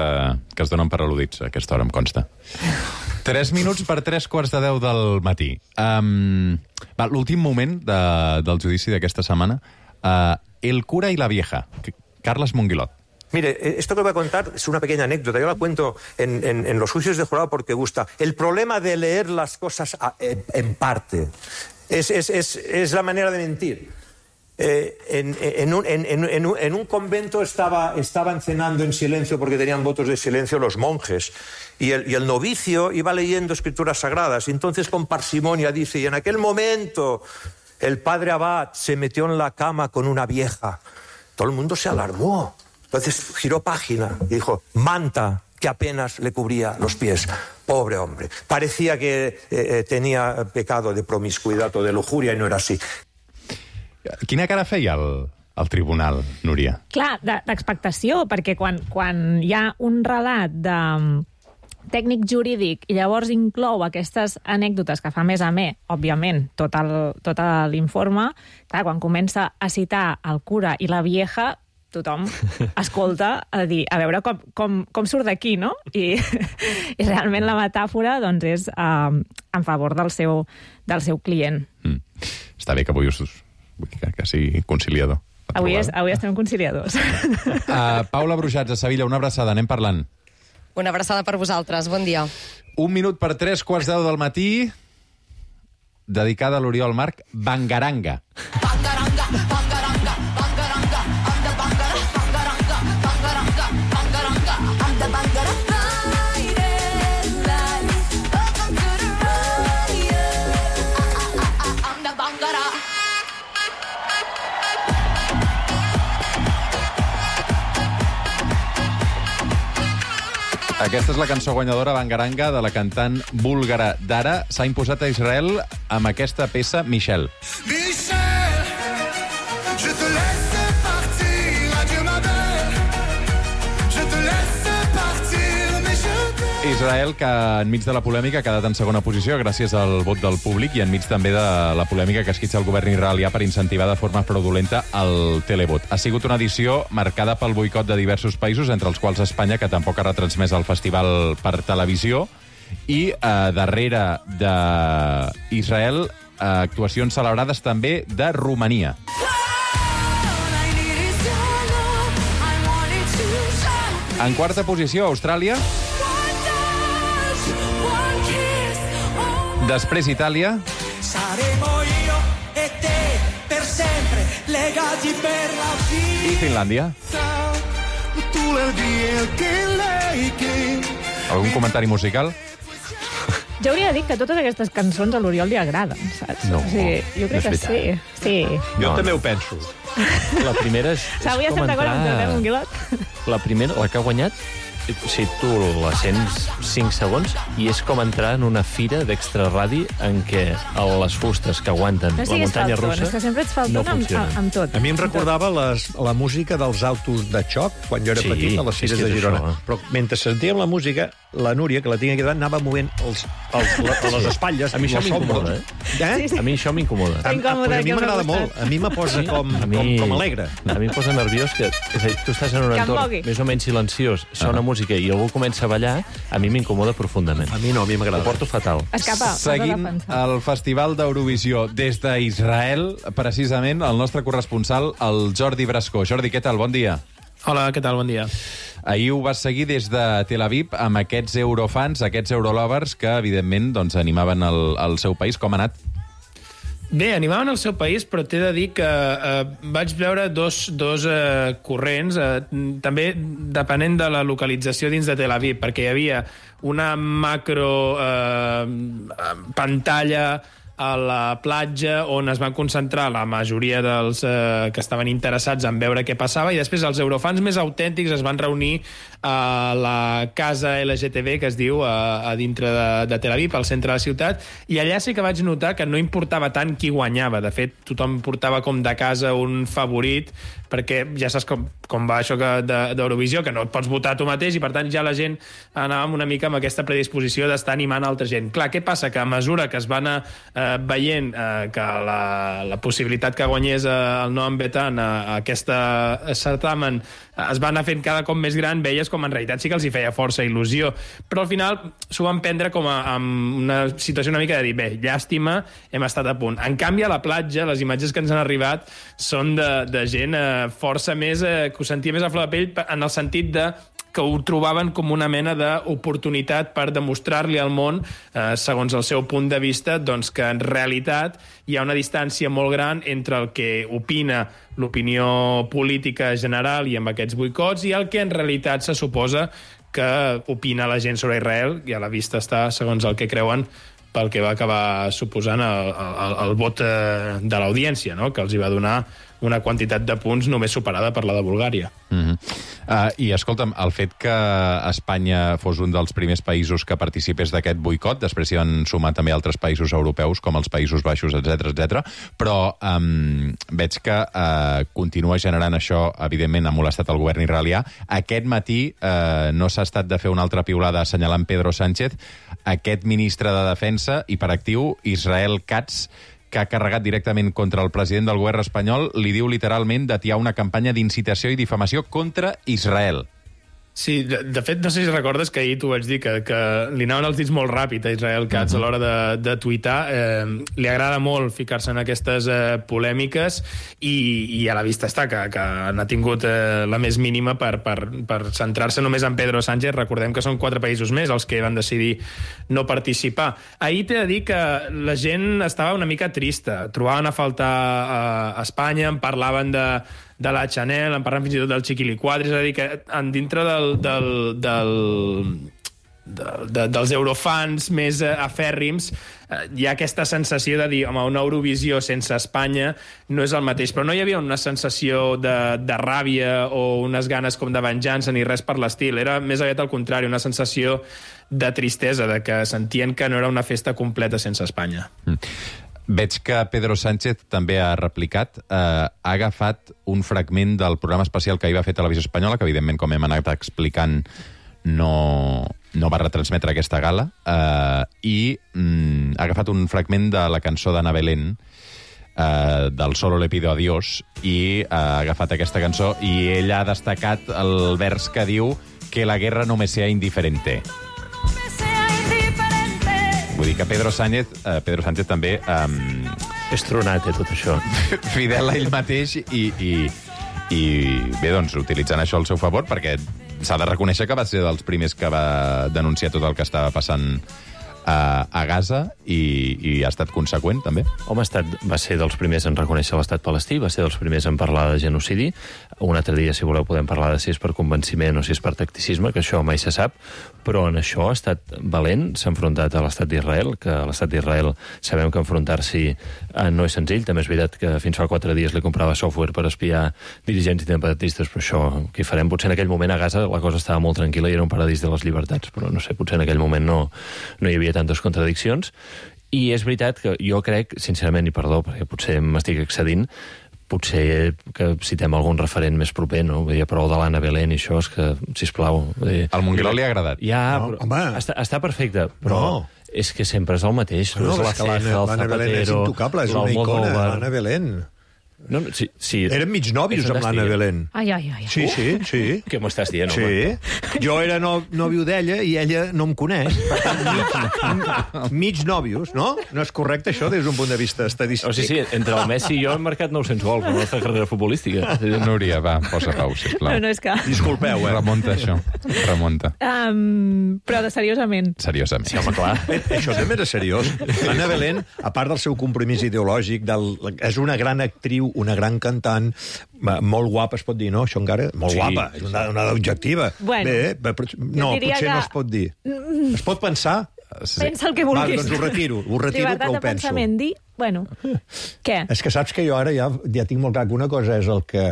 es donen per al·ludits a aquesta hora, em consta. 3 minuts per 3:45 del matí. L'últim moment del judici d'aquesta setmana, el cura y la vieja, Carles Monguilot. Mire, esto que voy a contar es una pequeña anécdota. Yo la cuento en los juicios de jurado porque gusta. El problema de leer las cosas en parte es la manera de mentir. En un convento estaban cenando en silencio porque tenían votos de silencio los monjes y el novicio iba leyendo escrituras sagradas y entonces con parsimonia dice, y en aquel momento el padre abad se metió en la cama con una vieja. Todo el mundo se alarmó. Entonces giró página y dijo, manta que apenas le cubría los pies. Pobre hombre. Parecía que tenía pecado de promiscuidad o de lujuria y no era así. Quina cara feia el tribunal, Núria? Clar, d'expectació, perquè quan hi ha un relat de tècnic jurídic i llavors inclou aquestes anècdotes que fa més amè, òbviament, tot l'informe, clar, quan comença a citar el cura i la vieja, tothom escolta a dir, a veure com surt d'aquí, no? I realment la metàfora doncs, és en favor del seu client. Està bé que avui que sigui conciliador. Avui estem conciliadors. Paula Brujats, a Sevilla, una abraçada, anem parlant. Una abraçada per vosaltres, bon dia. 1 minut per 3:10 del matí, dedicada a l'Oriol Marc, Bangaranga. Aquesta és la cançó guanyadora Bangaranga de la cantant búlgara Dara. S'ha imposat a Israel amb aquesta peça Michel. Michel, je te laisse Israel, que enmig de la polèmica ha quedat en segona posició gràcies al vot del públic i enmig també de la polèmica que esquitxa el govern israelià per incentivar de forma fraudulenta el televot. Ha sigut una edició marcada pel boicot de diversos països, entre els quals Espanya, que tampoc ha retransmès el festival per televisió, i darrere d'Israel actuacions celebrades també de Romania. En quarta posició, Austràlia. Després Itàlia. I Finlàndia. Algun comentari musical? Jo hauria de dir que totes aquestes cançons a l'Oriol li agraden, saps? No, o sigui, jo crec que sí. Sí. Jo també ho penso. La primera és S'hauria com estat d'acord amb entrar... un Guilot. La primera, la que ha guanyat, si tu la sents 5 segons, i és com entrar en una fira d'extraradi en què les fustes que aguanten la muntanya russa és que sempre ets falton amb tot. A mi em recordava la música dels autos de xoc, quan jo era petit, a les fires de Girona. Però mentre sentíem la música, la Núria, que la tinc aquí davant, anava movent les espatlles. A mi això m'incomoda, Sí. A mi això m'incomoda. A mi m'agrada molt. A mi me posa com alegre. A mi em posa nerviós que... És a dir, tu estàs en un entorn més o menys silenciós, sona música i algú comença a ballar, a mi m'incomoda profundament. A mi no, a mi m'agrada. Ho porto fatal. Escapa, seguint el Festival d'Eurovisió des d'Israel, precisament el nostre corresponsal, el Jordi Brascó. Jordi, què tal? Bon dia. Hola, què tal? Bon dia. Ahir ho vas seguir des de Tel Aviv amb aquests eurofans, aquests eurolovers, que evidentment doncs, animaven el seu país. Com ha anat? Bé, animaven el seu país, però t'he de dir que vaig veure dos corrents, també depenent de la localització dins de Tel Aviv, perquè hi havia una macro pantalla a la platja on es van concentrar la majoria dels que estaven interessats en veure què passava, i després els eurofans més autèntics es van reunir a la casa LGTB, que es diu, a dintre de Tel Aviv, al centre de la ciutat, i allà sí que vaig notar que no importava tant qui guanyava. De fet, tothom portava com de casa un favorit, perquè ja saps com va això d'Eurovisió, que no et pots votar tu mateix, i per tant ja la gent anava una mica amb aquesta predisposició d'estar animant altra gent. Clar, què passa? Que a mesura que es va anar veient que la possibilitat que guanyés el Noam Betan a aquesta certamen es va anar fent cada cop més gran, veies com en realitat sí que els hi feia força il·lusió, però al final s'ho van prendre com amb una situació una mica de dir, bé, llàstima, hem estat a punt. En canvi, a la platja, les imatges que ens han arribat són de gent força més, que ho sentia més a flor de pell, en el sentit de que ho trobaven com una mena d'oportunitat per demostrar-li al món, segons el seu punt de vista, doncs que en realitat hi ha una distància molt gran entre el que opina l'opinió política general i amb aquests boicots i el que en realitat se suposa que opina la gent sobre Israel, i a la vista està, segons el que creuen, pel que va acabar suposant el vot de l'audiència, no? Que els hi va donar una quantitat de punts només superada per la de Bulgària. I escolta'm, el fet que Espanya fos un dels primers països que participés d'aquest boicot, després s'hi van sumar també altres països europeus, com els Països Baixos, etc, però veig que continua generant això, evidentment, ha molestat el govern israelià. Aquest matí no s'ha estat de fer una altra piulada assenyalant Pedro Sánchez, aquest ministre de Defensa, hiperactiu, Israel Katz, que ha carregat directament contra el president del govern espanyol, li diu literalment d'atiar una campanya d'incitació i difamació contra Israel. Sí, de fet, no sé si recordes que ahir t'ho vaig dir, que li anaven els dits molt ràpid a Israel Katz a l'hora de tuitar. Li agrada molt ficar-se en aquestes polèmiques i a la vista està que n'ha tingut la més mínima per centrar-se només en Pedro Sánchez. Recordem que són 4 països més els que van decidir no participar. Ahir t'he de dir que la gent estava una mica trista. Trobaven a faltar a Espanya, en parlaven de la Chanel, en parlant fins i tot del Chiquilicuadri, és a dir, que dintre dels eurofans més afèrrims hi ha aquesta sensació de dir, home, una Eurovisió sense Espanya no és el mateix, però no hi havia una sensació de ràbia o unes ganes com de venjança ni res per l'estil, era més aviat al contrari, una sensació de tristesa, de que sentien que no era una festa completa sense Espanya. Veig que Pedro Sánchez també ha replicat, ha agafat un fragment del programa especial que ahir va fer Televisió Espanyola, que evidentment, com hem anat explicant, no no va retransmetre aquesta gala i ha agafat un fragment de la cançó d'Ana Belén, del Solo le pido a Dios, i ha agafat aquesta cançó i ella ha destacat el vers que diu que la guerra no me sea indiferente. Vull dir que Pedro Sánchez també... És tronat, tot això. Fidel a ell mateix i bé, doncs, utilitzant això al seu favor, perquè s'ha de reconèixer que va ser dels primers que va denunciar tot el que estava passant a Gaza i ha estat conseqüent, també. Home, va ser dels primers en reconèixer l'estat palestí, va ser dels primers en parlar de genocidi. Un altre dia, si voleu, podem parlar de si és per convenciment o si és per tacticisme, que això mai se sap, però en això ha estat valent, s'ha enfrontat a l'estat d'Israel, que a l'estat d'Israel sabem que enfrontar-s'hi no és senzill. També és veritat que fins fa 4 dies li comprava software per espiar dirigents independentistes, però això, què hi farem? Potser en aquell moment a Gaza la cosa estava molt tranquil·la i era un paradís de les llibertats, però no sé, potser en aquell moment no hi havia tantes contradiccions. I és veritat que jo crec, sincerament, i perdó, perquè potser m'estic excedint, potser que citem algun referent més proper, no? Vull dir, prou de l'Anna Belén i això, és que, sisplau... Al Monguiló li ha agradat. Ja, però està perfecte, però és que sempre és el mateix. No, és que l'Anna Belén és intocable, és una icona, l'Anna Belén. No, sí. Érem mig nòvios amb l'Anna Belén. Ai. Sí. Què m'ho estàs dient, home? Sí. Jo era nòvio d'ella i ella no em coneix. Per tant, mig nòvios, no? No és correcte, això, des d'un punt de vista estadístic. Sí, entre el Messi i jo hem marcat 900 gols en la nostra carrera futbolística. Núria, va, posa pau, sisplau. No, és que... Disculpeu, Remunta, això. Remunta. Però seriosament. Seriosament. Sí, home, clar. Això també era seriós. L'Anna Belén, a part del seu compromís ideològic, és una gran actriu, una gran cantant, molt guapa, es pot dir, no? Això encara... Molt guapa, és una dona objectiva. Bueno, potser no es pot dir. Es pot pensar? Pensa el que vulguis. Doncs ho retiro, però ho penso. Llibertat de pensament, dir... Bueno, què? És que saps que jo ara ja tinc molt clar que una cosa és el que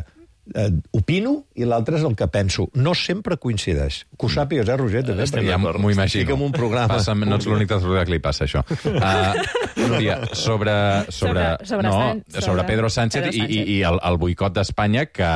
opino i l'altre és el que penso. No sempre coincideix. Que ho sàpigues, Roger? Ja m'ho imagino. Estic en un programa. No ets l'únic que li passa, això. Núria, sobre Pedro Sánchez i el boicot d'Espanya, que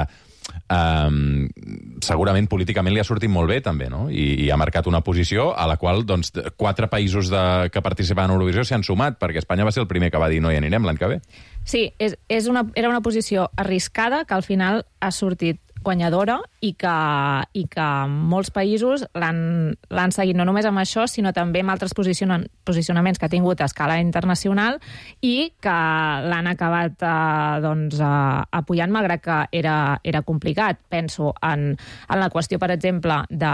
segurament políticament li ha sortit molt bé, també, no? I ha marcat una posició a la qual, doncs, 4 països que participaven a Eurovisió s'hi han sumat, perquè Espanya va ser el primer que va dir no hi anirem l'any que ve. Sí, era una posició arriscada que al final ha sortit guanyadora i que molts països l'han seguit no només amb això, sinó també amb altres posicionaments que ha tingut a escala internacional i que l'han acabat apoyant, malgrat que era complicat. Penso en la qüestió, per exemple, de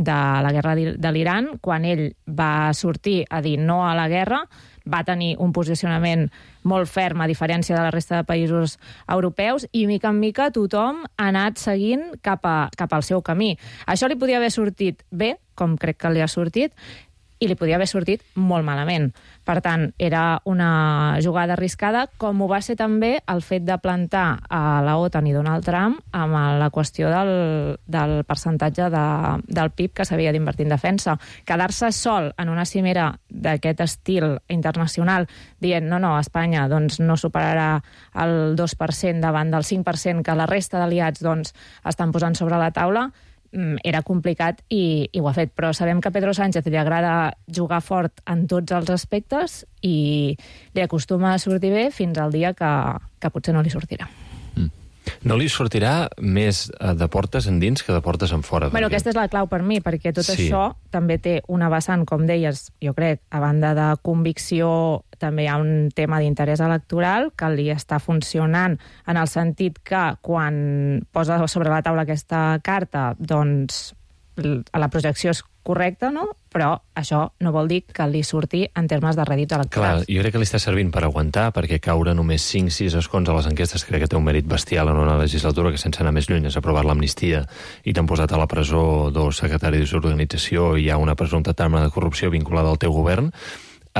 la guerra de l'Iran, quan ell va sortir a dir no a la guerra, va tenir un posicionament molt ferm, a diferència de la resta de països europeus, i mica en mica tothom ha anat seguint cap al seu camí. Això li podia haver sortit bé, com crec que li ha sortit, i li podia haver sortit molt malament. Per tant, era una jugada arriscada, com ho va ser també el fet de plantar a la OTAN i Donald Trump amb la qüestió del percentatge del PIB que s'havia d'invertir en defensa. Quedar-se sol en una cimera d'aquest estil internacional dient no, Espanya doncs, no superarà el 2% davant del 5% que la resta d'aliats doncs, estan posant sobre la taula, era complicat i ho ha fet. Però sabem que a Pedro Sánchez li agrada jugar fort en tots els aspectes i li acostuma a sortir bé fins al dia que potser no li sortirà. No li sortirà més de portes endins que de portes enfora. Bueno, aquesta és la clau per mi, perquè tot això també té una vessant, com deies, jo crec, a banda de convicció, també hi ha un tema d'interès electoral que li està funcionant en el sentit que quan posa sobre la taula aquesta carta, doncs la projecció és correcta, no? Però això no vol dir que li surti en termes de rèdits electorals. Clar, jo crec que li està servint per aguantar, perquè caure només 5-6 escons a les enquestes crec que té un mèrit bestial en una legislatura que, sense anar més lluny, has aprovat l'amnistia i t'han posat a la presó 2 secretaris d'organització i hi ha una presumpta trama de corrupció vinculada al teu govern.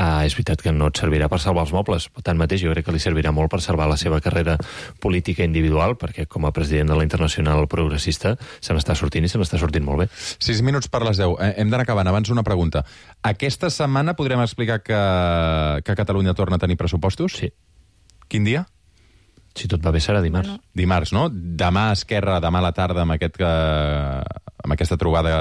És veritat que no et servirà per salvar els mobles, però tanmateix jo crec que li servirà molt per salvar la seva carrera política individual, perquè com a president de la Internacional Progressista se n'està sortint i se n'està sortint molt bé. 6 minuts per les 10. Hem d'anar acabant. Abans una pregunta. Aquesta setmana podrem explicar que Catalunya torna a tenir pressupostos? Sí. Quin dia? Si tot va bé, serà dimarts. Dimarts, no? Demà a Esquerra, demà a la tarda, amb aquesta trobada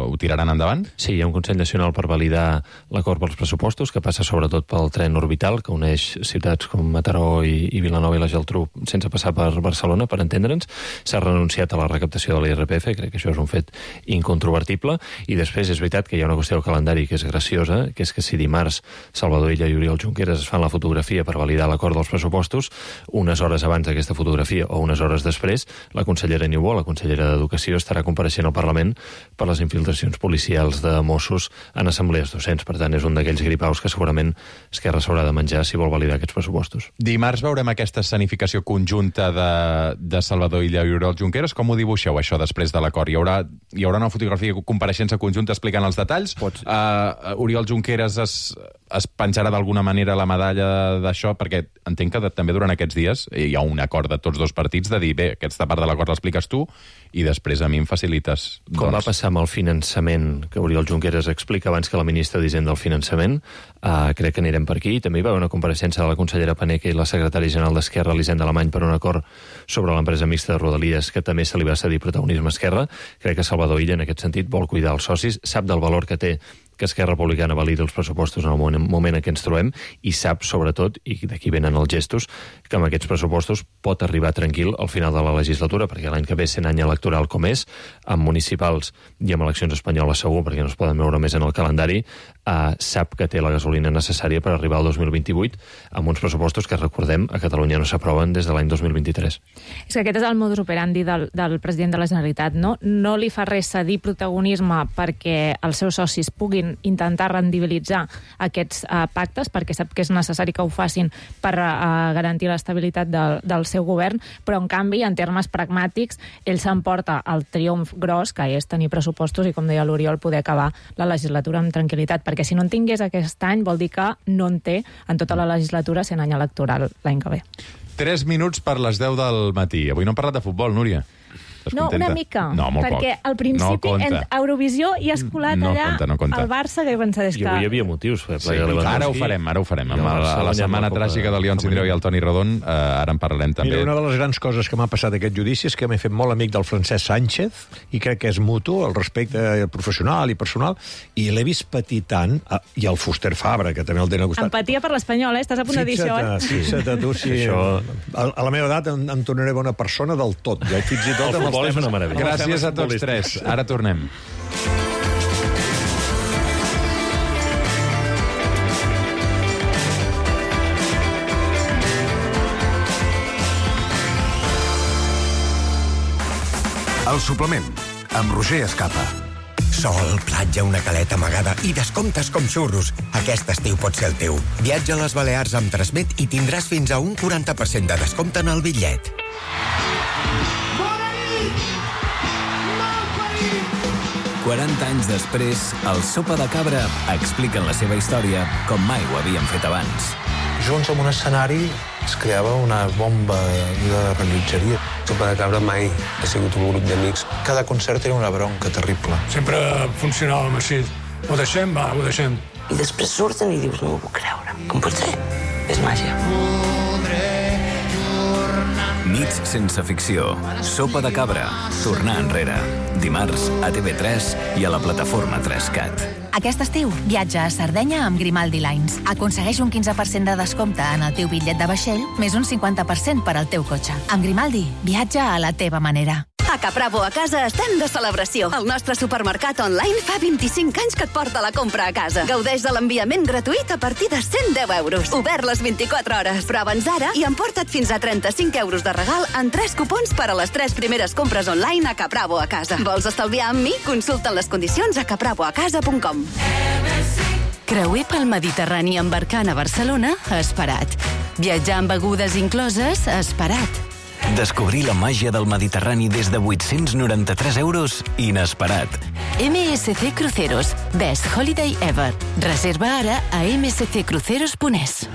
ho tiraran endavant? Sí, hi ha un Consell Nacional per validar l'acord pels pressupostos, que passa sobretot pel tren orbital, que uneix ciutats com Mataró i Vilanova i la Geltrú sense passar per Barcelona, per entendre'ns. S'ha renunciat a la recaptació de l'IRPF, crec que això és un fet incontrovertible, i després és veritat que hi ha una qüestió del calendari que és graciosa, que és que si dimarts Salvador Illa i Oriol Junqueras es fan la fotografia per validar l'acord dels pressupostos, unes hores abans d'aquesta fotografia o unes hores després, la consellera Niubó, la consellera d'Educació, estarà compareixent al Parlament per les infiltracions policials de Mossos en assemblees docents. Per tant, és un d'aquells gripaus que segurament Esquerra s'haurà de menjar si vol validar aquests pressupostos. Dimarts veurem aquesta escenificació conjunta de Salvador Illa i Oriol Junqueras. Com ho dibuixeu, això, després de l'acord? Hi haurà una fotografia compareixença conjunta explicant els detalls? Oriol Junqueras es penjarà d'alguna manera la medalla d'això, perquè entenc que també durant aquests dies hi ha un acord de tots dos partits de dir, bé, aquesta part de l'acord l'expliques tu i després a mi em facilites. Com va passar amb el finançament, que Oriol Junqueras explica abans que la ministra d'Hisenda del finançament, crec que anirem per aquí. També hi va haver una compareixença de la consellera Paneque i la secretària general d'Esquerra, Elisenda Alemany, per un acord sobre l'empresa mixta de Rodalies, que també se li va cedir protagonisme a Esquerra. Crec que Salvador Illa, en aquest sentit, vol cuidar els socis, sap del valor que té que Esquerra Republicana validi els pressupostos en el moment en què ens trobem i sap, sobretot, i d'aquí venen els gestos, que amb aquests pressupostos pot arribar tranquil al final de la legislatura, perquè l'any que ve, sent any electoral com és, amb municipals i amb eleccions espanyoles segur, perquè no es poden veure més en el calendari, sap que té la gasolina necessària per arribar al 2028 amb uns pressupostos que, recordem, a Catalunya no s'aproven des de l'any 2023. És que aquest és el modus operandi del president de la Generalitat, no? No li fa res cedir protagonisme perquè els seus socis puguin intentar rendibilitzar aquests pactes, perquè sap que és necessari que ho facin per garantir l'estabilitat del seu govern, però en canvi, en termes pragmàtics, ell s'emporta el triomf gros, que és tenir pressupostos i, com deia l'Oriol, poder acabar la legislatura amb tranquil·litat, perquè si no en tingués aquest any vol dir que no en té en tota la legislatura sent any electoral l'any que ve. 3 minuts per les 10 del matí. Avui no hem parlat de futbol, Núria. No, una mica. No, molt perquè poc. al principi no en Eurovisió hi has colat allà compta. el Barça, que he pensat I avui hi havia motius. Sí, ara ho farem. A la setmana tràgica de León Sindreu i el Toni Rodon, ara en parlarem també. Mira, una de les grans coses que m'ha passat aquest judici és que m'he fet molt amic del Francesc Sánchez, i crec que és mutu, el respecte professional i personal, i l'he vist patir tant, i el Fuster Fabra, que també el tenen al costat. Empatia per l'Espanyol, estàs a punt de dir això, Fixa't tu, si a la meva edat em tornaré bona persona del tot, ja, fins i tot amb els temes. És una meravella. Gràcies a tots tres. Ara tornem. El suplement, amb Roger Escapa. Sol, platja, una caleta amagada i descomptes com xurros. Aquest estiu pot ser el teu. Viatja a les Balears amb Transmet i tindràs fins a un 40% de descompte en el bitllet. 40 anys després, el Sopa de Cabra expliquen la seva història com mai ho havien fet abans. Junts en un escenari es creava una bomba de rellotgeria. Sopa de Cabra mai ha sigut un grup d'amics. Cada concert era una bronca terrible. Sempre funcionàvem així. Ho deixem, va, ho deixem. I després surten i dius, no ho puc creure. Com pot ser? És màgia. Nits sense ficció. Sopa de Cabra. Tornar enrere. Dimarts a TV3 i a la plataforma 3CAT. Aquest estiu, viatja a Sardenya amb Grimaldi Lines. Aconsegueix un 15% de descompte en el teu bitllet de vaixell, més un 50% per al teu cotxe. Amb Grimaldi, viatja a la teva manera. A Capravo a casa estem de celebració. El nostre supermercat online fa 25 anys que et porta la compra a casa. Gaudeix de l'enviament gratuït a partir de 110 euros. Obert les 24 hores. Prova'ns ara i emporta't fins a 35 euros de regal en 3 cupons per a les 3 primeres compres online a Capravo a casa. Vols estalviar amb mi? Consulta les condicions a capravoacasa.com. Creuer pel Mediterrani embarcant a Barcelona, esperat. Viatjar amb begudes incloses, esperat. Descobrir la màgia del Mediterrani des de 893 euros, inesperat. MSC Cruceros. Best Holiday Ever. Reserva ara a msccruceros.es.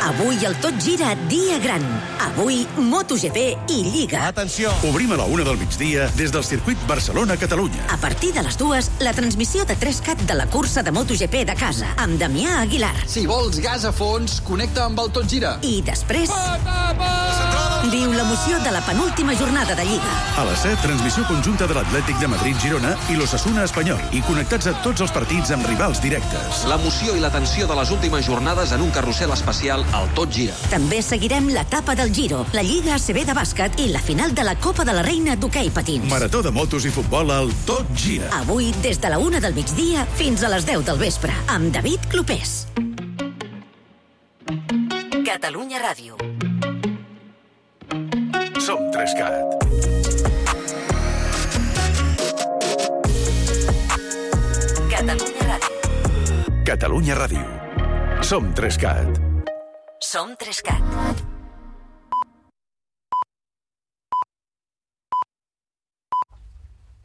Avui el Tot Gira dia gran. Avui MotoGP i Lliga. Atenció! Obrim a la 1 del migdia des del circuit Barcelona-Catalunya. A partir de les 2, la transmissió de 3CAT de la cursa de MotoGP de casa, amb Damià Aguilar. Si vols gas a fons, connecta amb el Tot Gira. I després... Centrada Viu l'emoció de la penúltima jornada de Lliga. A les 7, transmissió conjunta de l'Atlètic de Madrid-Girona i l'Osasuna Espanyol, i connectats a tots els partits amb rivals directes. L'emoció i la tensió de les últimes jornades en un carrusel especial al Tot Gira. També seguirem l'etapa del Giro, la Lliga ACB de bàsquet i la final de la Copa de la Reina d'hoquei patins. Marató de motos i futbol al Tot Gira. Avui, des de la 1 del migdia fins a les 10 del vespre, amb David Clopés. Catalunya Ràdio. Som 3CAT. Catalunya Ràdio. Catalunya Ràdio. Som 3CAT. Som 3CAT.